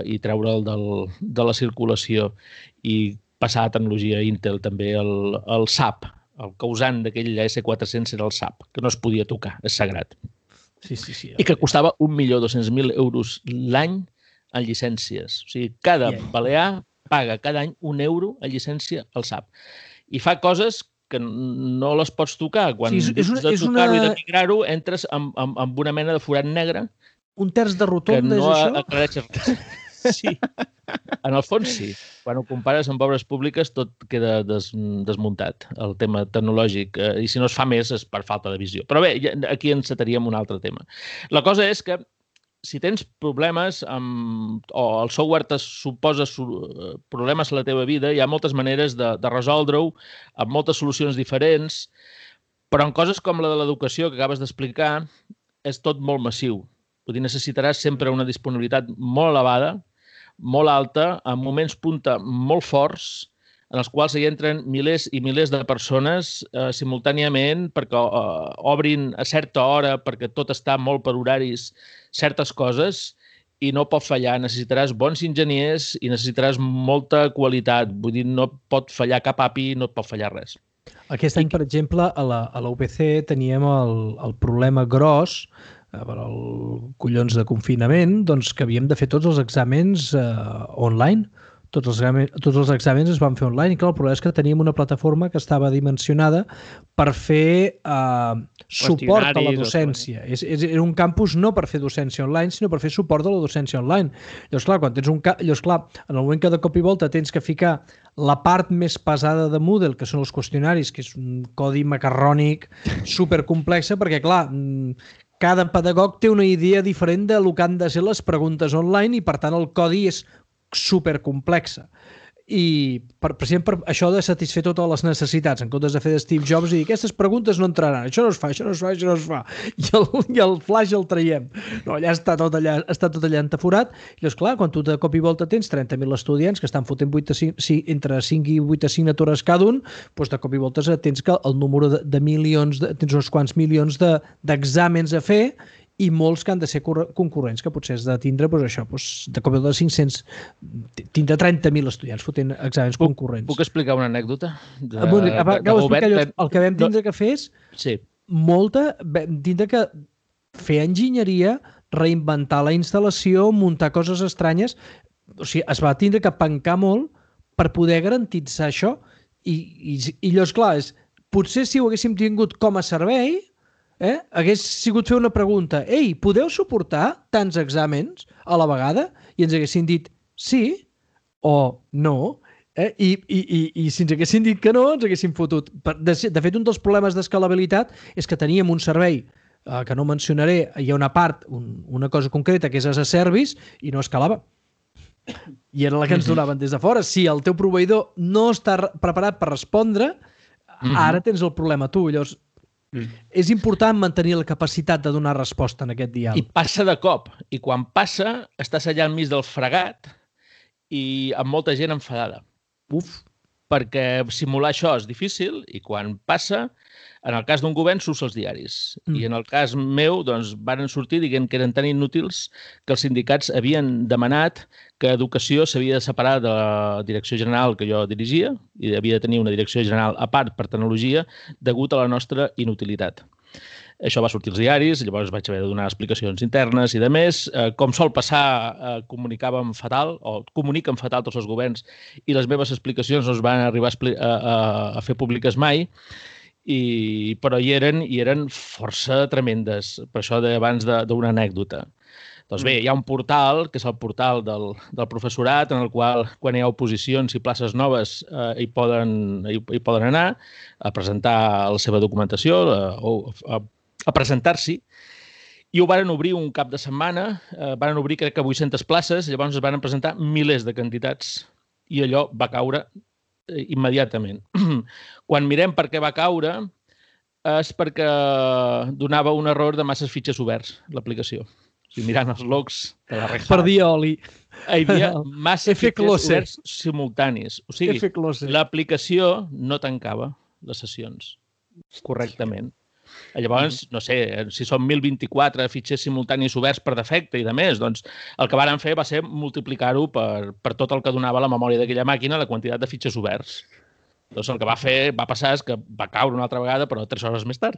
i treure'l de la circulació i passar a tecnologia Intel també, el SAP. El causant d'aquell S400 era el SAP, que no es podia tocar, és sagrat. Sí. I que costava 1.200.000 euros l'any en llicències. O sigui, cada balear paga cada any €1 en llicència al SAP. I fa coses que no les pots tocar. Quan dius de tocar-ho i de migrar-ho, entres amb una mena de forat negre. Un terç de rotonda, és això? Aclareixes. Sí, en el fons sí. Quan ho compares amb obres públiques tot queda desmuntat, el tema tecnològic, i si no es fa més és per falta de visió. Però bé, aquí encetaríem un altre tema. La cosa és que si tens problemes o el software te suposa problemes a la teva vida, hi ha moltes maneres de resoldre-ho, amb moltes solucions diferents, però en coses com la de l'educació que acabes d'explicar és tot molt massiu. Vull dir, necessitaràs sempre una disponibilitat molt elevada, molt alta, en moments punta molt forts, en els quals hi entren milers i milers de persones simultàniament perquè obrin a certa hora, perquè tot està molt per horaris, certes coses, i no pot fallar. Necessitaràs bons enginyers i necessitaràs molta qualitat. Vull dir, no pot fallar cap API, no et pot fallar res. Aquest any, per exemple, a la UPC teníem el problema gros per el collons de confinament, doncs que havíem de fer tots els exàmens online. Tots els exàmens es van fer online i clar, el problema és que teníem una plataforma que estava dimensionada per fer suport a la docència. Era un campus no per fer docència online, sinó per fer suport a la docència online. Llavors, clar, en el moment que de cop i volta tens que ficar la part més pesada de Moodle, que són els qüestionaris, que és un codi macarrònic supercomplex, perquè, clar, cada pedagog té una idea diferent de lo que han de ser les preguntes online i, per tant, el codi és supercomplexa. I per això de satisfer totes les necessitats, en comptes de fer de Steve Jobs i dir aquestes preguntes no entraran, això no es fa, això no es fa, això no es fa, i el flash el traiem. No, allà està tot allà entaforat, i llavors, clar, quan tu de cop i volta tens 30.000 estudiants que estan fotent entre 5 i 8 assignatures cada un, doncs de cop i volta tens que el número de milions, tens uns quants milions d'exàmens a fer, i molts que han de ser concurrents, que potser has de tindre de cop de 500, tindre 30.000 estudiants fotent exàmens concurrents. Puc explicar una anècdota? El que vam tindre que fer és vam tindre que fer enginyeria, reinventar la instal·lació, muntar coses estranyes. O sigui, es va tindre que pencar molt per poder garantitzar això. I llavors, clar, potser si ho haguéssim tingut com a servei, hagués sigut fer una pregunta: ei, podeu suportar tants exàmens a la vegada? I ens haguessin dit sí o no. I si ens haguessin dit que no, ens haguessin fotut. De fet, un dels problemes d'escalabilitat és que teníem un servei que no mencionaré, hi ha una part, una cosa concreta, que és as a service, i no escalava. I era la que ens donaven des de fora. Si el teu proveïdor no està preparat per respondre, ara tens el problema tu. Llavors, és important mantenir la capacitat de donar resposta en aquest diàleg. I passa de cop. I quan passa, estàs allà enmig del fregat i amb molta gent enfadada. Perquè simular això és difícil i quan passa, en el cas d'un govern, surts als diaris. I en el cas meu, doncs, van sortir dient que eren tan inútils que els sindicats havien demanat que Educació s'havia de separar de la direcció general que jo dirigia i havia de tenir una direcció general a part per tecnologia degut a la nostra inutilitat. Això va sortir als diaris, llavors vaig haver de donar explicacions internes i de més. Com sol passar, comunicàvem fatal, o comuniquen fatal tots els governs, i les meves explicacions no es van arribar a fer públiques mai, però hi eren força tremendes, per això abans d'una anècdota. Doncs bé, hi ha un portal, que és el portal del professorat, en el qual, quan hi ha oposicions i places noves, hi poden anar a presentar la seva documentació o a presentar-s'hi. I ho van obrir un cap de setmana, van obrir crec que 800 places, llavors es van presentar milers de candidats i allò va caure immediatament. Quan mirem per què va caure és perquè donava un error de masses fitxers oberts, l'aplicació. O sigui, mirant els logs de la Red Hat. Perdia oli. Hi havia massa fitxers oberts simultanis. O sigui, l'aplicació no tancava les sessions correctament. Llavors, no sé, si són 1.024 fitxers simultanis oberts per defecte i de més, doncs el que varen fer va ser multiplicar-ho per tot el que donava la memòria d'aquella màquina, la quantitat de fitxers oberts. Doncs el que va passar és que va caure una altra vegada, però 3 hores més tard.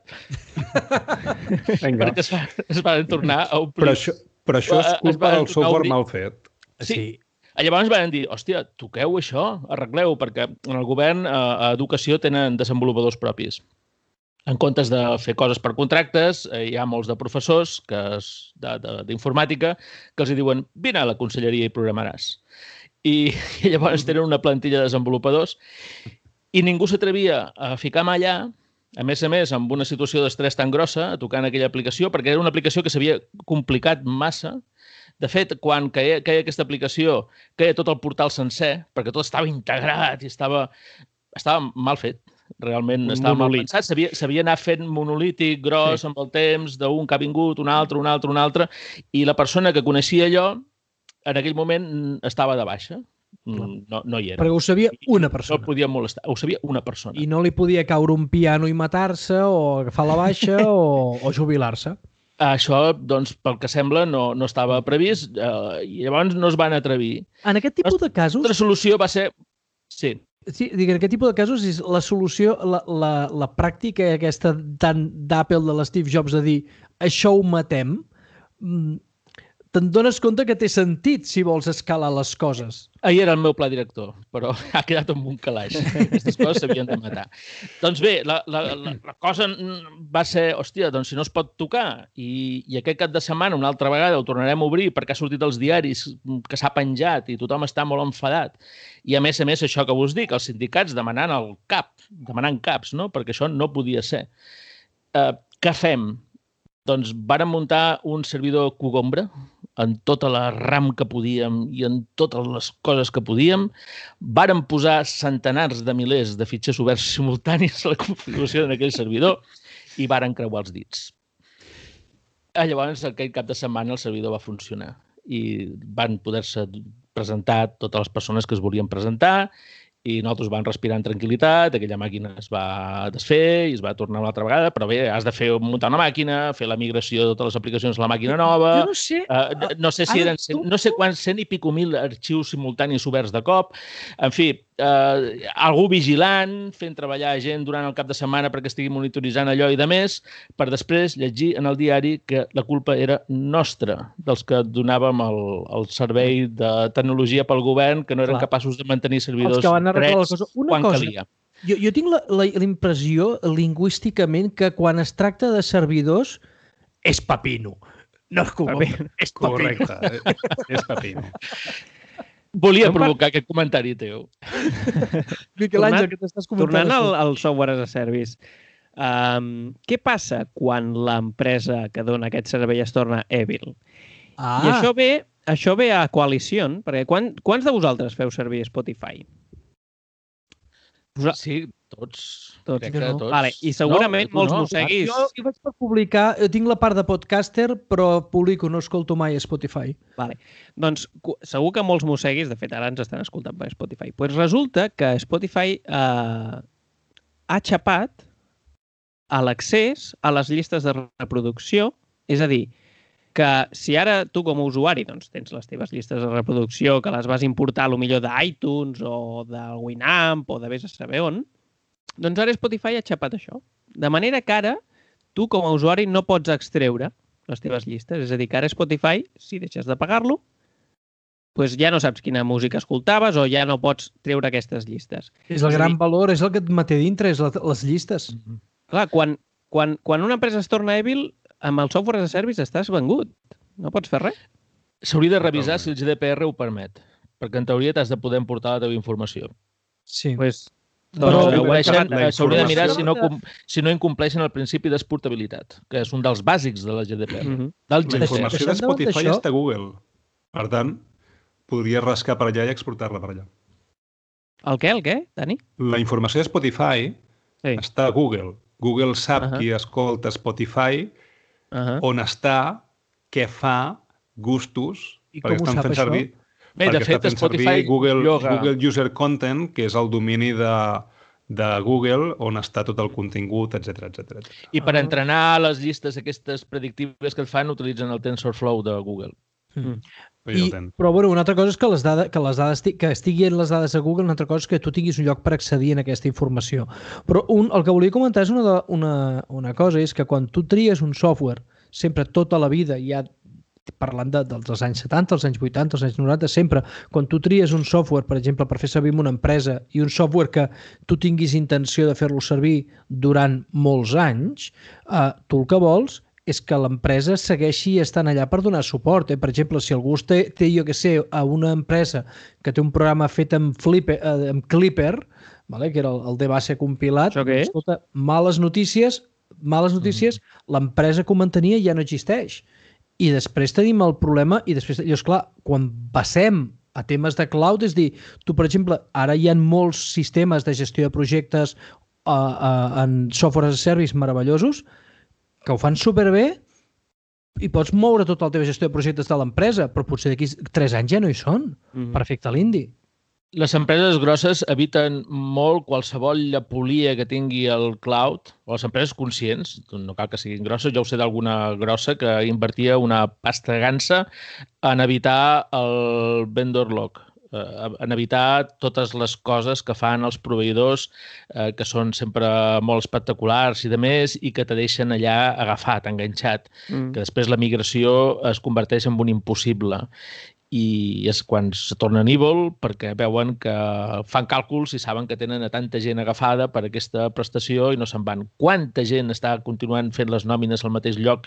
Perquè es van tornar a omplir. Però això és culpa del software mal fet. Sí. Llavors van dir, hòstia, toqueu això, arregleu, perquè en el govern a Educació tenen desenvolupadors propis. En comptes de fer coses per contractes, hi ha molts de professors d'informàtica que els diuen, vine a la conselleria i programaràs. I llavors tenen una plantilla de desenvolupadors i ningú s'atrevia a ficar mà allà, a més, amb una situació d'estrès tan grossa, tocant aquella aplicació, perquè era una aplicació que s'havia complicat massa. De fet, quan caia aquesta aplicació, caia tot el portal sencer, perquè tot estava integrat i estava mal fet. Realment estava mal pensat. S'havia anat fent monolític, gros, amb el temps, d'un que ha vingut, un altre, i la persona que coneixia allò, en aquell moment estava de baixa. No hi era. Perquè ho sabia una persona. No podia molestar, ho sabia una persona. I no li podia caure un piano i matar-se, o agafar la baixa, o jubilar-se. Això, doncs, pel que sembla, no estava previst, i llavors no es van atrevir. En aquest tipus de casos... La solució va ser... Sí. Sí, en aquest tipus de casos és la solució, la pràctica aquesta tant d'Apple de l'Steve Jobs de dir això ho matem, te'n dones compte que té sentit si vols escalar les coses. Ahir era el meu pla director, però ha quedat amb un calaix. Aquestes coses s'havien de matar. Doncs bé, la cosa va ser, hòstia, doncs si no es pot tocar i aquest cap de setmana una altra vegada ho tornarem a obrir perquè ha sortit als diaris que s'ha penjat i tothom està molt enfadat. I a més, això que vos dic, els sindicats demanant caps, no? Perquè això no podia ser. Què fem? Doncs vàrem muntar un servidor Cugombra en tota la RAM que podíem i en totes les coses que podíem. Vàrem posar centenars de milers de fitxers oberts simultanis a la configuració d'aquell servidor i vàrem creuar els dits. Llavors, aquell cap de setmana el servidor va funcionar i van poder-se presentar totes les persones que es volien presentar i nosaltres vam respirar en tranquil·litat, aquella màquina es va desfer i es va tornar una altra vegada, però bé, has de muntar una màquina, fer la migració de totes les aplicacions a la màquina nova... Jo no sé... No sé si eren no sé quants 100 i pico mil arxius simultanis oberts de cop. En fi, algú vigilant, fent treballar gent durant el cap de setmana perquè estigui monitoritzant allò i de més, per després llegir en el diari que la culpa era nostra, dels que donàvem el servei de tecnologia pel govern, que no eren capaços de mantenir servidors drets quan calia. Jo tinc la impressió lingüísticament que quan es tracta de servidors és pepino. No és Cugombra, és pepino. Correcte, és pepino. Volia provocar aquest comentari teu. Miquel Àngel, que t'estàs comentant. Tornant al software as a service, què passa quan l'empresa que dona aquest servei es torna evil? I això ve a coalició, perquè quants de vosaltres feu servir Spotify? Sí, tots. Crec que tots. Vale. I segurament molts mosseguis... Jo vaig per publicar, tinc la part de podcaster, però publico, no escolto mai Spotify. Vale. Doncs segur que molts mosseguis, de fet ara ens estan escoltant per Spotify, pues resulta que Spotify ha xapat a l'accés a les llistes de reproducció, és a dir, que si ara tu com a usuari doncs, tens les teves llistes de reproducció que les vas importar millor d'iTunes o del Winamp o de vés a saber on, doncs ara Spotify ha xapat això. De manera que ara tu com a usuari no pots extreure les teves llistes. És a dir, que ara Spotify, si deixes de pagar-lo, doncs ja no saps quina música escoltaves o ja no pots treure aquestes llistes. És el gran valor, és el que et manté dintre, és les llistes. Clar, quan una empresa es torna evil, amb el software as a service estàs vengut. No pots fer res. S'hauria de revisar si el GDPR ho permet, perquè en teoria t'has de poder importar la teva informació. Sí. Però s'hauria de mirar si no incompleixen el principi d'exportabilitat, que és un dels bàsics de la GDPR. La informació de Spotify està a Google. Per tant, podries rascar per allà i exportar-la per allà. El què, Dani? La informació de Spotify està a Google. Google sap qui escolta Spotify, on està, què fa, gustos, perquè estan fent servir... Bé, de fet, Spotify Google User Content, que és el domini de Google, on està tot el contingut, etc. I per entrenar les llistes aquestes predictives que et fan, utilitzen el TensorFlow de Google. Però una altra cosa és que que estiguin les dades a Google, una altra cosa és que tu tinguis un lloc per accedir a aquesta informació. Però el que volia comentar és una cosa, és que quan tu tries un software, sempre tota la vida, ja parlant dels anys 70, els anys 80, els anys 90, sempre, quan tu tries un software, per exemple, per fer servir una empresa i un software que tu tinguis intenció de fer-lo servir durant molts anys, tu el que vols és que l'empresa segueixi estant allà per donar suport. Per exemple, si algú té, jo què sé, a una empresa que té un programa fet amb Clipper, que era el de base compilat, escolta, males notícies, l'empresa que ho mantenia ja no existeix. I després tenim el problema, i després, clar, quan passem a temes de cloud, és dir, tu, per exemple, ara hi ha molts sistemes de gestió de projectes en software as a service meravellosos, que ho fan superbé i pots moure tota la teva gestió de projectes de l'empresa, però potser d'aquí 3 anys ja no hi són. Perfecte l'indi. Les empreses grosses eviten molt qualsevol llepolia que tingui el cloud, o les empreses conscients, no cal que siguin grosses, jo ho sé d'alguna grossa que invertia una pasta gansa en evitar el vendor lock, en evitar totes les coses que fan els proveïdors que són sempre molt espectaculars i de més i que te deixen allà agafat, enganxat, que després la migració es converteix en un impossible. I és quan se tornen evil perquè veuen que fan càlculs i saben que tenen a tanta gent agafada per aquesta prestació i no se'n van. Quanta gent està continuant fent les nòmines al mateix lloc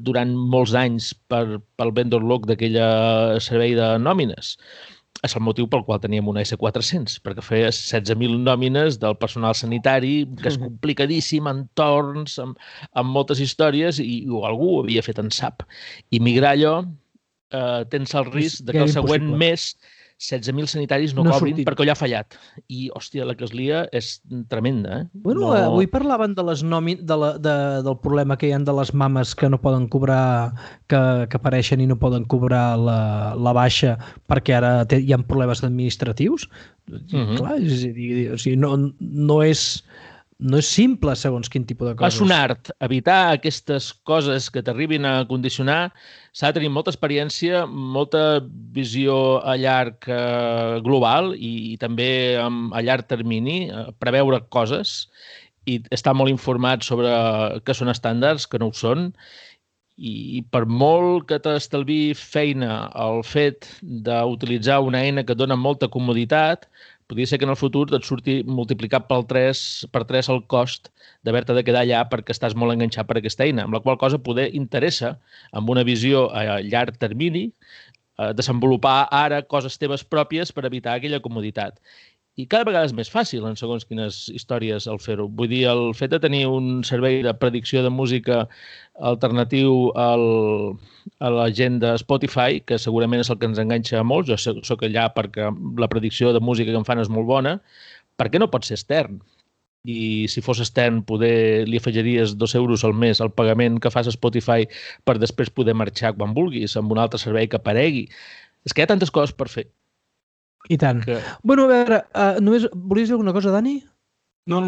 durant molts anys pel vendor lock d'aquella servei de nòmines? és el motiu pel qual teníem una S400, perquè feia 16.000 nòmines del personal sanitari, que és complicadíssim, en torns, amb moltes històries, i algú ho havia fet en SAP. I migrar allò, tens el risc de que el següent mes 16.000 sanitaris no cobrin perquè allò ha fallat. I, hòstia, la que es lia és tremenda. Bueno, avui parlaven de del problema que hi ha de les mames que no poden cobrar, que apareixen i no poden cobrar la baixa perquè ara hi ha problemes administratius. Clar, és a dir, o sigui, no és simple segons quin tipus de coses. És un art. Evitar aquestes coses que t'arribin a condicionar s'ha de tenir molta experiència, molta visió a llarg global i també a llarg termini, preveure coses i estar molt informat sobre què són estàndards, que no ho són, i per molt que t'estalvi feina el fet d'utilitzar una eina que et dona molta comoditat, podria ser que en el futur et surti multiplicat per 3 el cost d'haver-te de quedar allà perquè estàs molt enganxat per aquesta eina, amb la qual cosa poder interessa, amb una visió a llarg termini, desenvolupar ara coses teves pròpies per evitar aquella comoditat. I cada vegada és més fàcil en segons quines històries el fer-ho. Vull dir, el fet de tenir un servei de predicció de música alternatiu a la gent de Spotify, que segurament és el que ens enganxa a molts, jo soc allà perquè la predicció de música que em fan és molt bona, per què no pot ser extern? I si fos extern, poder li afegiries 2 euros al mes al pagament que fas a Spotify per després poder marxar quan vulguis amb un altre servei que aparegui. És que hi ha tantes coses per fer. I tant. Bueno, a veure, només volies dir alguna cosa, Dani? No.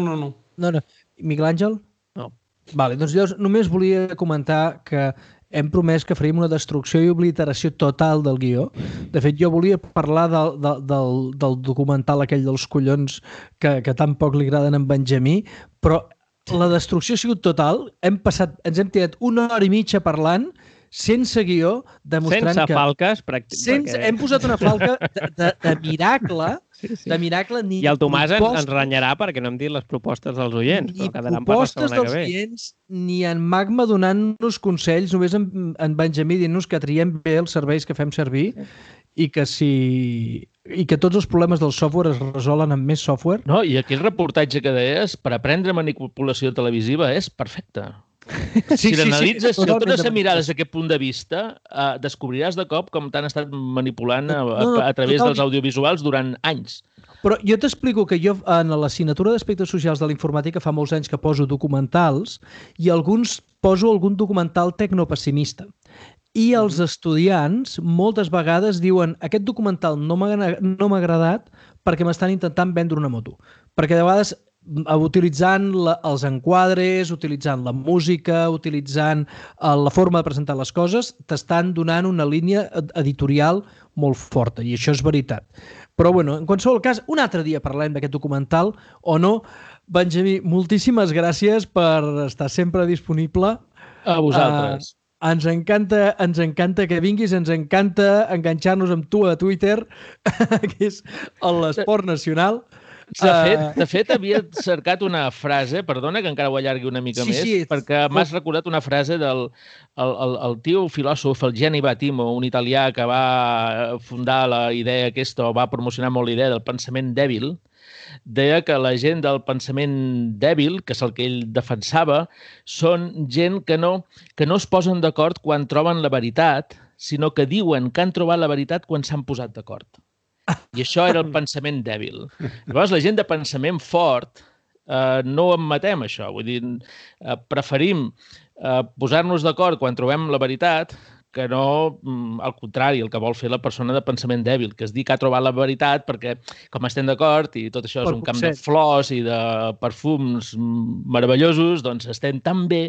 Miguel Àngel? No. Vale, doncs llavors només volia comentar que hem promès que faríem una destrucció i obliteració total del guió. De fet, jo volia parlar del documental aquell dels collons que tan poc li agraden a en Benjamí, però la destrucció ha sigut total. Ens hem tirat 1 hora i mitja parlant sense guió, demostrant sense falques, pràcticament. Hem posat una falca de miracle, de miracle. I el Tomàs ens renyarà perquè no hem dit les propostes dels oients. Ni propostes dels oients, ni en Magma donant-nos consells, només en Benjamí dient-nos que triem bé els serveis que fem servir i que tots els problemes del software es resolen amb més software. No, i aquell reportatge que deies, per aprendre manipulació televisiva, és perfecte. Si l'analitzes, si el tornes a mirar des d'aquest punt de vista, descobriràs de cop com t'han estat manipulant a través dels audiovisuals durant anys. Però jo t'explico que jo en l'assignatura d'aspectes socials de la informàtica fa molts anys que poso documentals i poso algun documental tecnopessimista. I els estudiants moltes vegades diuen aquest documental no m'ha agradat perquè m'estan intentant vendre una moto. Perquè de vegades utilitzant els enquadres, utilitzant la música, utilitzant la forma de presentar les coses, t'estan donant una línia editorial molt forta, i això és veritat. Però, bueno, en qualsevol cas, un altre dia parlarem d'aquest documental, o no. Benjamí, moltíssimes gràcies per estar sempre disponible. A vosaltres. Ens encanta que vinguis, ens encanta enganxar-nos amb tu a Twitter, que és l'esport nacional. De fet, havia cercat una frase, perdona que encara ho allargui una mica més, perquè m'has recordat una frase del tio filòsof, el Gianni Battimo, un italià que va fundar la idea aquesta, o va promocionar molt la idea del pensament dèbil. Deia que la gent del pensament dèbil, que és el que ell defensava, són gent que no es posen d'acord quan troben la veritat, sinó que diuen que han trobat la veritat quan s'han posat d'acord. I això era el pensament dèbil. Llavors, la gent de pensament fort no admetem això. Vull dir, preferim posar-nos d'acord quan trobem la veritat que no, al contrari, el que vol fer la persona de pensament dèbil, que és dir que ha trobat la veritat perquè, com estem d'acord, i tot això és un camp de flors i de perfums meravellosos, doncs estem tan bé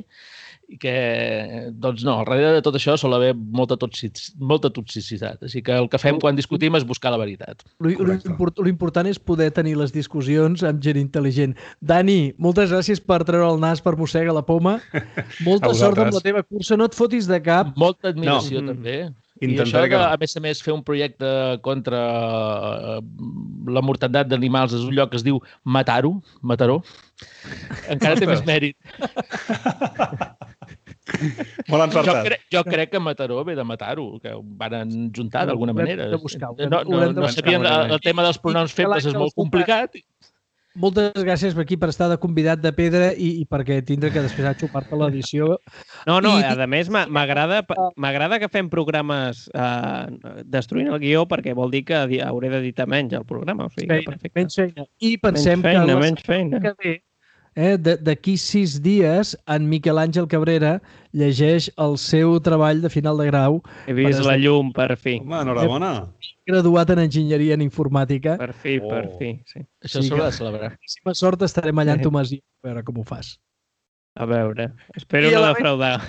que, doncs no, al darrere de tot això sol haver molta toxicitat. Així que el que fem quan discutim és buscar la veritat. L'important és poder tenir les discussions amb gent intel·ligent. Dani, moltes gràcies per treure el nas per mossegar la poma. Molta sort amb la teva cursa. No et fotis de cap. Molta admiració, també. I això de, a més, fer un projecte contra la mortalitat d'animals és un lloc que es diu Mataró, encara té més mèrit. Molt encertat. Jo crec que Mataró ve de Matar-ho, que ho van juntar d'alguna manera. Haurem de buscar, No sabien, el tema dels pronoms febles és molt complicat. Moltes gràcies per aquí per estar de convidat de pedra i perquè tindre que després a xupar-te l'edició. No, a més m'agrada que fem programes destruint el guió perquè vol dir que hauré d'editar menys el programa. O sigui, menys feina. I pensem menys feina. Que ve, d'aquí 6 dies, en Miquel Àngel Cabrera llegeix el seu treball de final de grau. He vist la llum, per fi. Home, enhorabona. Graduat en enginyeria en informàtica. Per fi, sí. Això s'haurà de celebrar. Si m'ha sort estarem allà en Tomàs i a veure com ho fas. A veure, espero no defraudar.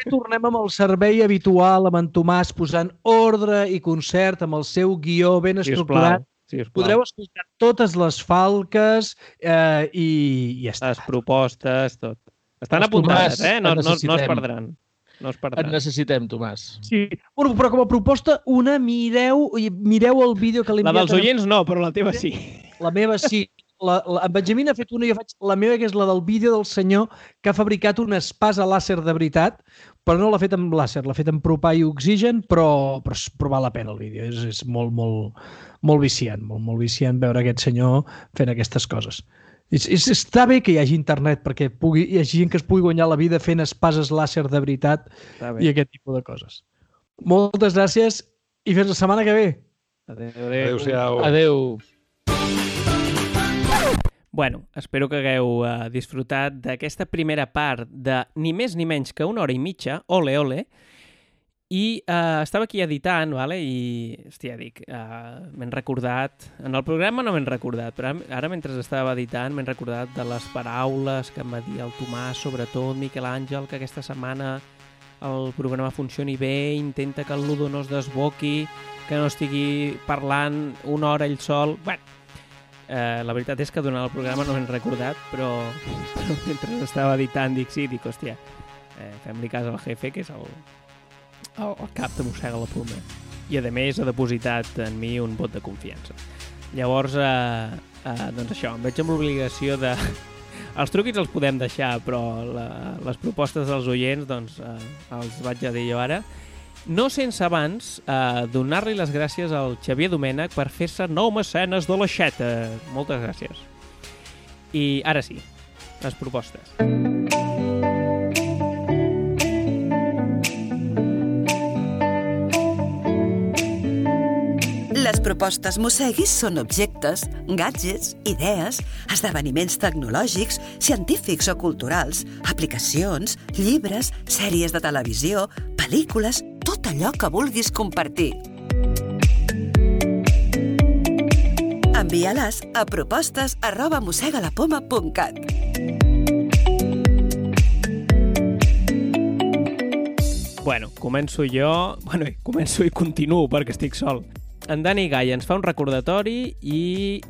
Tornem amb el servei habitual, amb en Tomàs posant ordre i concert, amb el seu guió ben estructurat. Podreu escoltar totes les falques i ja està. Les propostes, tot. Estan apuntades, no es perdran. No es perdran. Et necessitem, Tomàs. Sí, però com a proposta, mireu el vídeo que l'he enviat. La dels oients no, però la teva sí. La meva sí. En Benjamín ha fet una i jo faig la meva, que és la del vídeo del senyor que ha fabricat una espasa làser de veritat, però no l'ha fet amb làser, l'ha fet amb propà i oxigen, però val la pena el vídeo. És molt viciant, molt viciant veure aquest senyor fent aquestes coses. Està bé que hi hagi internet perquè hi hagi gent que es pugui guanyar la vida fent espases làser de veritat i aquest tipus de coses. Moltes gràcies i fins la setmana que ve. Adéu-siau. Adéu. Bueno, espero que hagueu disfrutat d'aquesta primera part de ni més ni menys que 1 hora i mitja, ole. I estava aquí editant, vale? I, hòstia, dic, m'he recordat... En el programa no m'he recordat, però ara mentre estava editant m'he recordat de les paraules que em va dir el Tomàs, sobretot Miquel Àngel, que aquesta setmana el programa funcioni bé, intenta que el Ludo no es desboqui, que no estigui parlant 1 hora ell sol... Bueno, la veritat és que durant el programa no m'he recordat, però mentre estava editant dic, hòstia, fem-li cas al jefe, que és el cap de mossega la ploma. I a més ha depositat en mi un vot de confiança. Llavors, doncs això, em veig amb l'obligació de... Els truquis els podem deixar, però les propostes dels oients, doncs, els vaig a dir jo ara. No sense abans donar-li les gràcies al Xavier Domènech per fer-se 9 mecenes de l'aixeta. Moltes gràcies. I ara sí, les propostes. Les propostes Mosseguis són objectes, gadgets, idees, esdeveniments tecnològics, científics o culturals, aplicacions, llibres, sèries de televisió, pel·lícules, tot allò que vulguis compartir. Envia-les a propostes@mossegalapoma.cat. Bueno, començo i continuo perquè estic sol. En Dani Gai ens fa un recordatori i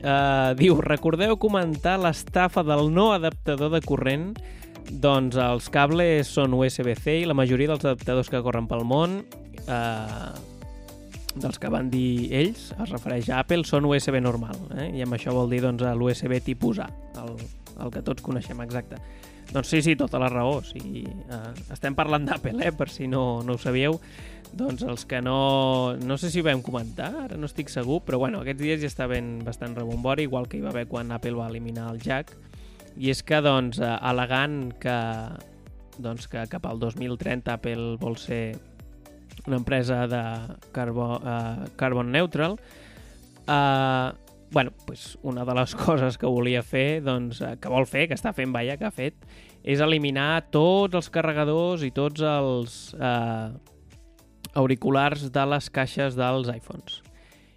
diu, recordeu comentar l'estafa del no adaptador de corrent? Doncs els cables són USB-C i la majoria dels adaptadors que corren pel món, dels que van dir ells, es refereix a Apple, són USB normal. I amb això vol dir doncs, l'USB tipus A, el que tots coneixem, exacte. Doncs sí, tota la raó. Estem parlant d'Apple, per si no ho sabíeu. Doncs els que no sé si ho vam comentar, ara no estic segur, però bueno, aquests dies ja està bastant rebombori, igual que hi va haver quan Apple va eliminar el jack. I és que, doncs, al·legant que cap al 2030 Apple vol ser una empresa de carbon neutral, una de les coses que volia fer, que vol fer, que està fent, que ha fet, és eliminar tots els carregadors i tots els auriculars de les caixes dels iPhones.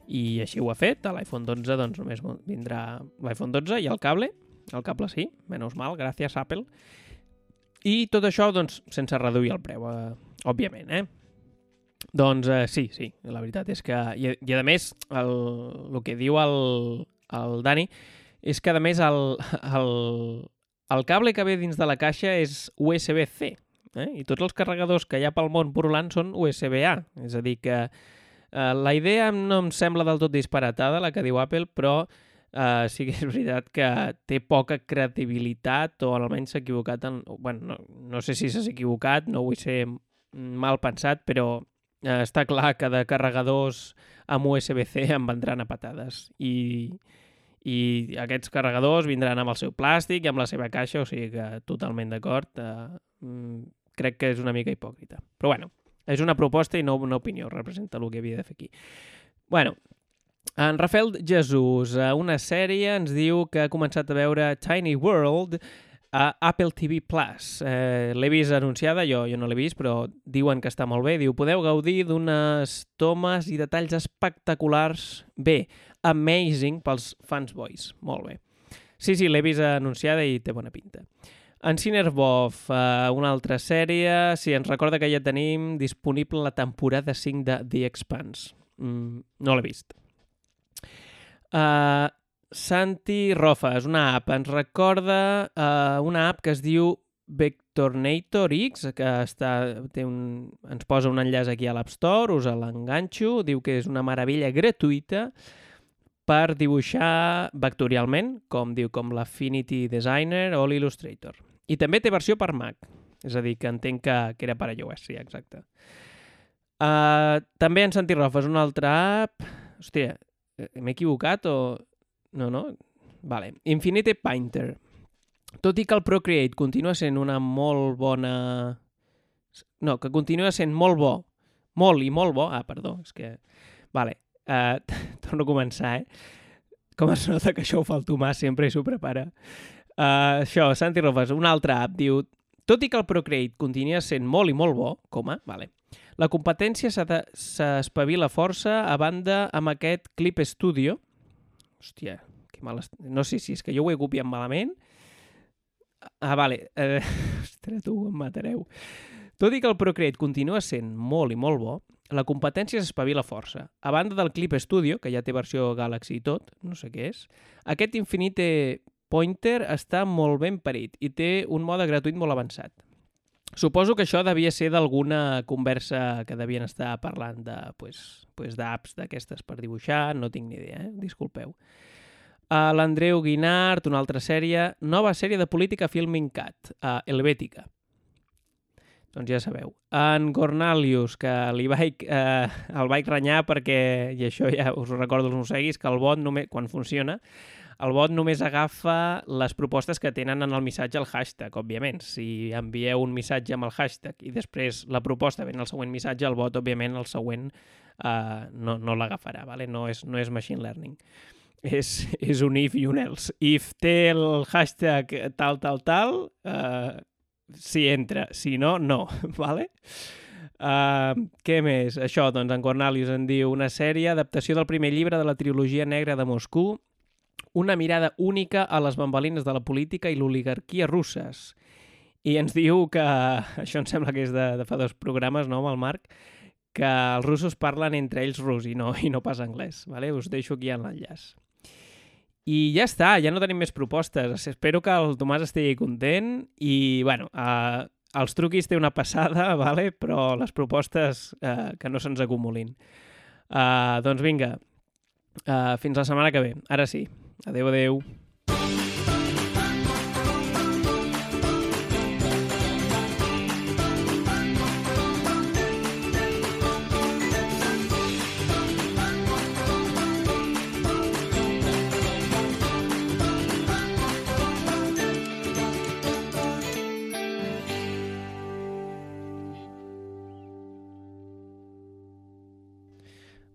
I així ho ha fet. A l'iPhone 12 doncs, només vindrà l'iPhone 12 i el cable sí, menys mal, gràcies Apple. I tot això doncs, sense reduir el preu, òbviament. Doncs sí, la veritat és que... I a més, el que diu el Dani és que a més el cable que ve dins de la caixa és USB-C. I tots els carregadors que hi ha pel món purulant són USB-A. És a dir que la idea no em sembla del tot disparatada, la que diu Apple, però sí que és veritat que té poca credibilitat o almenys s'ha equivocat. No sé si s'ha equivocat, no vull ser mal pensat, però està clar que de carregadors amb USB-C en vendran a patades. I aquests carregadors vindran amb el seu plàstic i amb la seva caixa, o sigui que totalment d'acord. Crec que és una mica hipòcrita. Però bueno, és una proposta i no una opinió, representa el que havia de fer aquí. Bueno, en Rafael Jesús, una sèrie, ens diu que ha començat a veure Tiny World a Apple TV+. L'he vist anunciada, jo no l'he vist, però diuen que està molt bé. Diu, podeu gaudir d'unes tomes i detalls espectaculars. Bé, amazing pels fans boys. Molt bé. Sí, l'he vist anunciada i té bona pinta. En Cinerbov, una altra sèrie. Sí, ens recorda que ja tenim disponible la temporada 5 de The Expanse. No l'he vist. Santi Rofa, és una app. Ens recorda una app que es diu Vectornator X, que ens posa un enllaç aquí a l'App Store, us l'enganxo, diu que és una meravella gratuïta per dibuixar vectorialment, com l'Affinity Designer o l'Illustrator. I també té versió per Mac, és a dir, que entenc que era per iOS, sí, exacte. També en Santi Rofa és una altra app... Hòstia, m'he equivocat o... No? Vale. Infinite Painter. Tot i que el Procreate continua sent una molt bona... No, que continua sent molt bo. Molt i molt bo. Perdó, és que... Vale. Torno a començar, Com es nota que això ho fa el Tomàs, sempre i s'ho prepara. Això, Santi Rofes, una altra app, diu... Tot i que el Procreate continua sent molt i molt bo, vale, la competència s'espavila força a banda amb aquest Clip Studio. Hòstia, que mal... No sé si és que jo ho he copiat malament. Vale. Ostres, tu em matareu. Tot i que el Procreate continua sent molt i molt bo, la competència s'espavila força. A banda del Clip Studio, que ja té versió Galaxy i tot, no sé què és, aquest Infinite Pointer està molt ben parit i té un mode gratuït molt avançat. Suposo que això devia ser d'alguna conversa que devien estar parlant d'apps d'aquestes per dibuixar, no tinc ni idea, disculpeu. L'Andreu Guinart, una altra sèrie, nova sèrie de política Filming Cat, Helvètica. Doncs ja sabeu. En Cornelius, que el vaig renyar perquè, i això ja us ho recordo els mosseguis, que el bot, quan funciona, el bot només agafa les propostes que tenen en el missatge al hashtag, òbviament. Si envieu un missatge amb el hashtag i després la proposta ven al següent missatge, el bot, òbviament, el següent no l'agafarà, ¿vale? No és machine learning. És un if i un else. If té el hashtag tal, si entra. Si no, no. ¿Vale? Què més? Això, doncs, en Cornelius en diu una sèrie, adaptació del primer llibre de la trilogia negra de Moscou, una mirada única a les bambalines de la política i l'oligarquia russes. I ens diu que, això em sembla que és de fa 2 programes, no, amb el Marc, que els russos parlen entre ells rus i no pas anglès. ¿Vale? Us deixo aquí en l'enllaç. I ja està, ja no tenim més propostes. Espero que el Tomàs estigui content i, bueno, els truquis té una passada, ¿vale? Però les propostes que no se'ns acumulin. Doncs vinga, fins la setmana que ve. Ara sí. Adéu, adéu.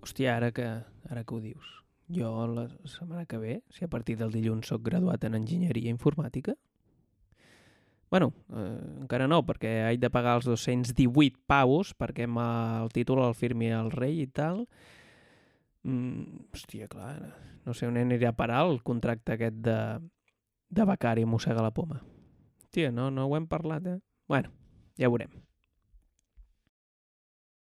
Hòstia, ara que ho dius. Jo la setmana que ve, si a partir del dilluns soc graduat en enginyeria informàtica, bueno, encara no, perquè haig de pagar els 218 pavos perquè el títol el firmi el rei i tal. Hòstia, clar, no sé on aniré a parar el contracte aquest de becari mossega la poma. Hòstia, no ho hem parlat, Bueno, ja veurem.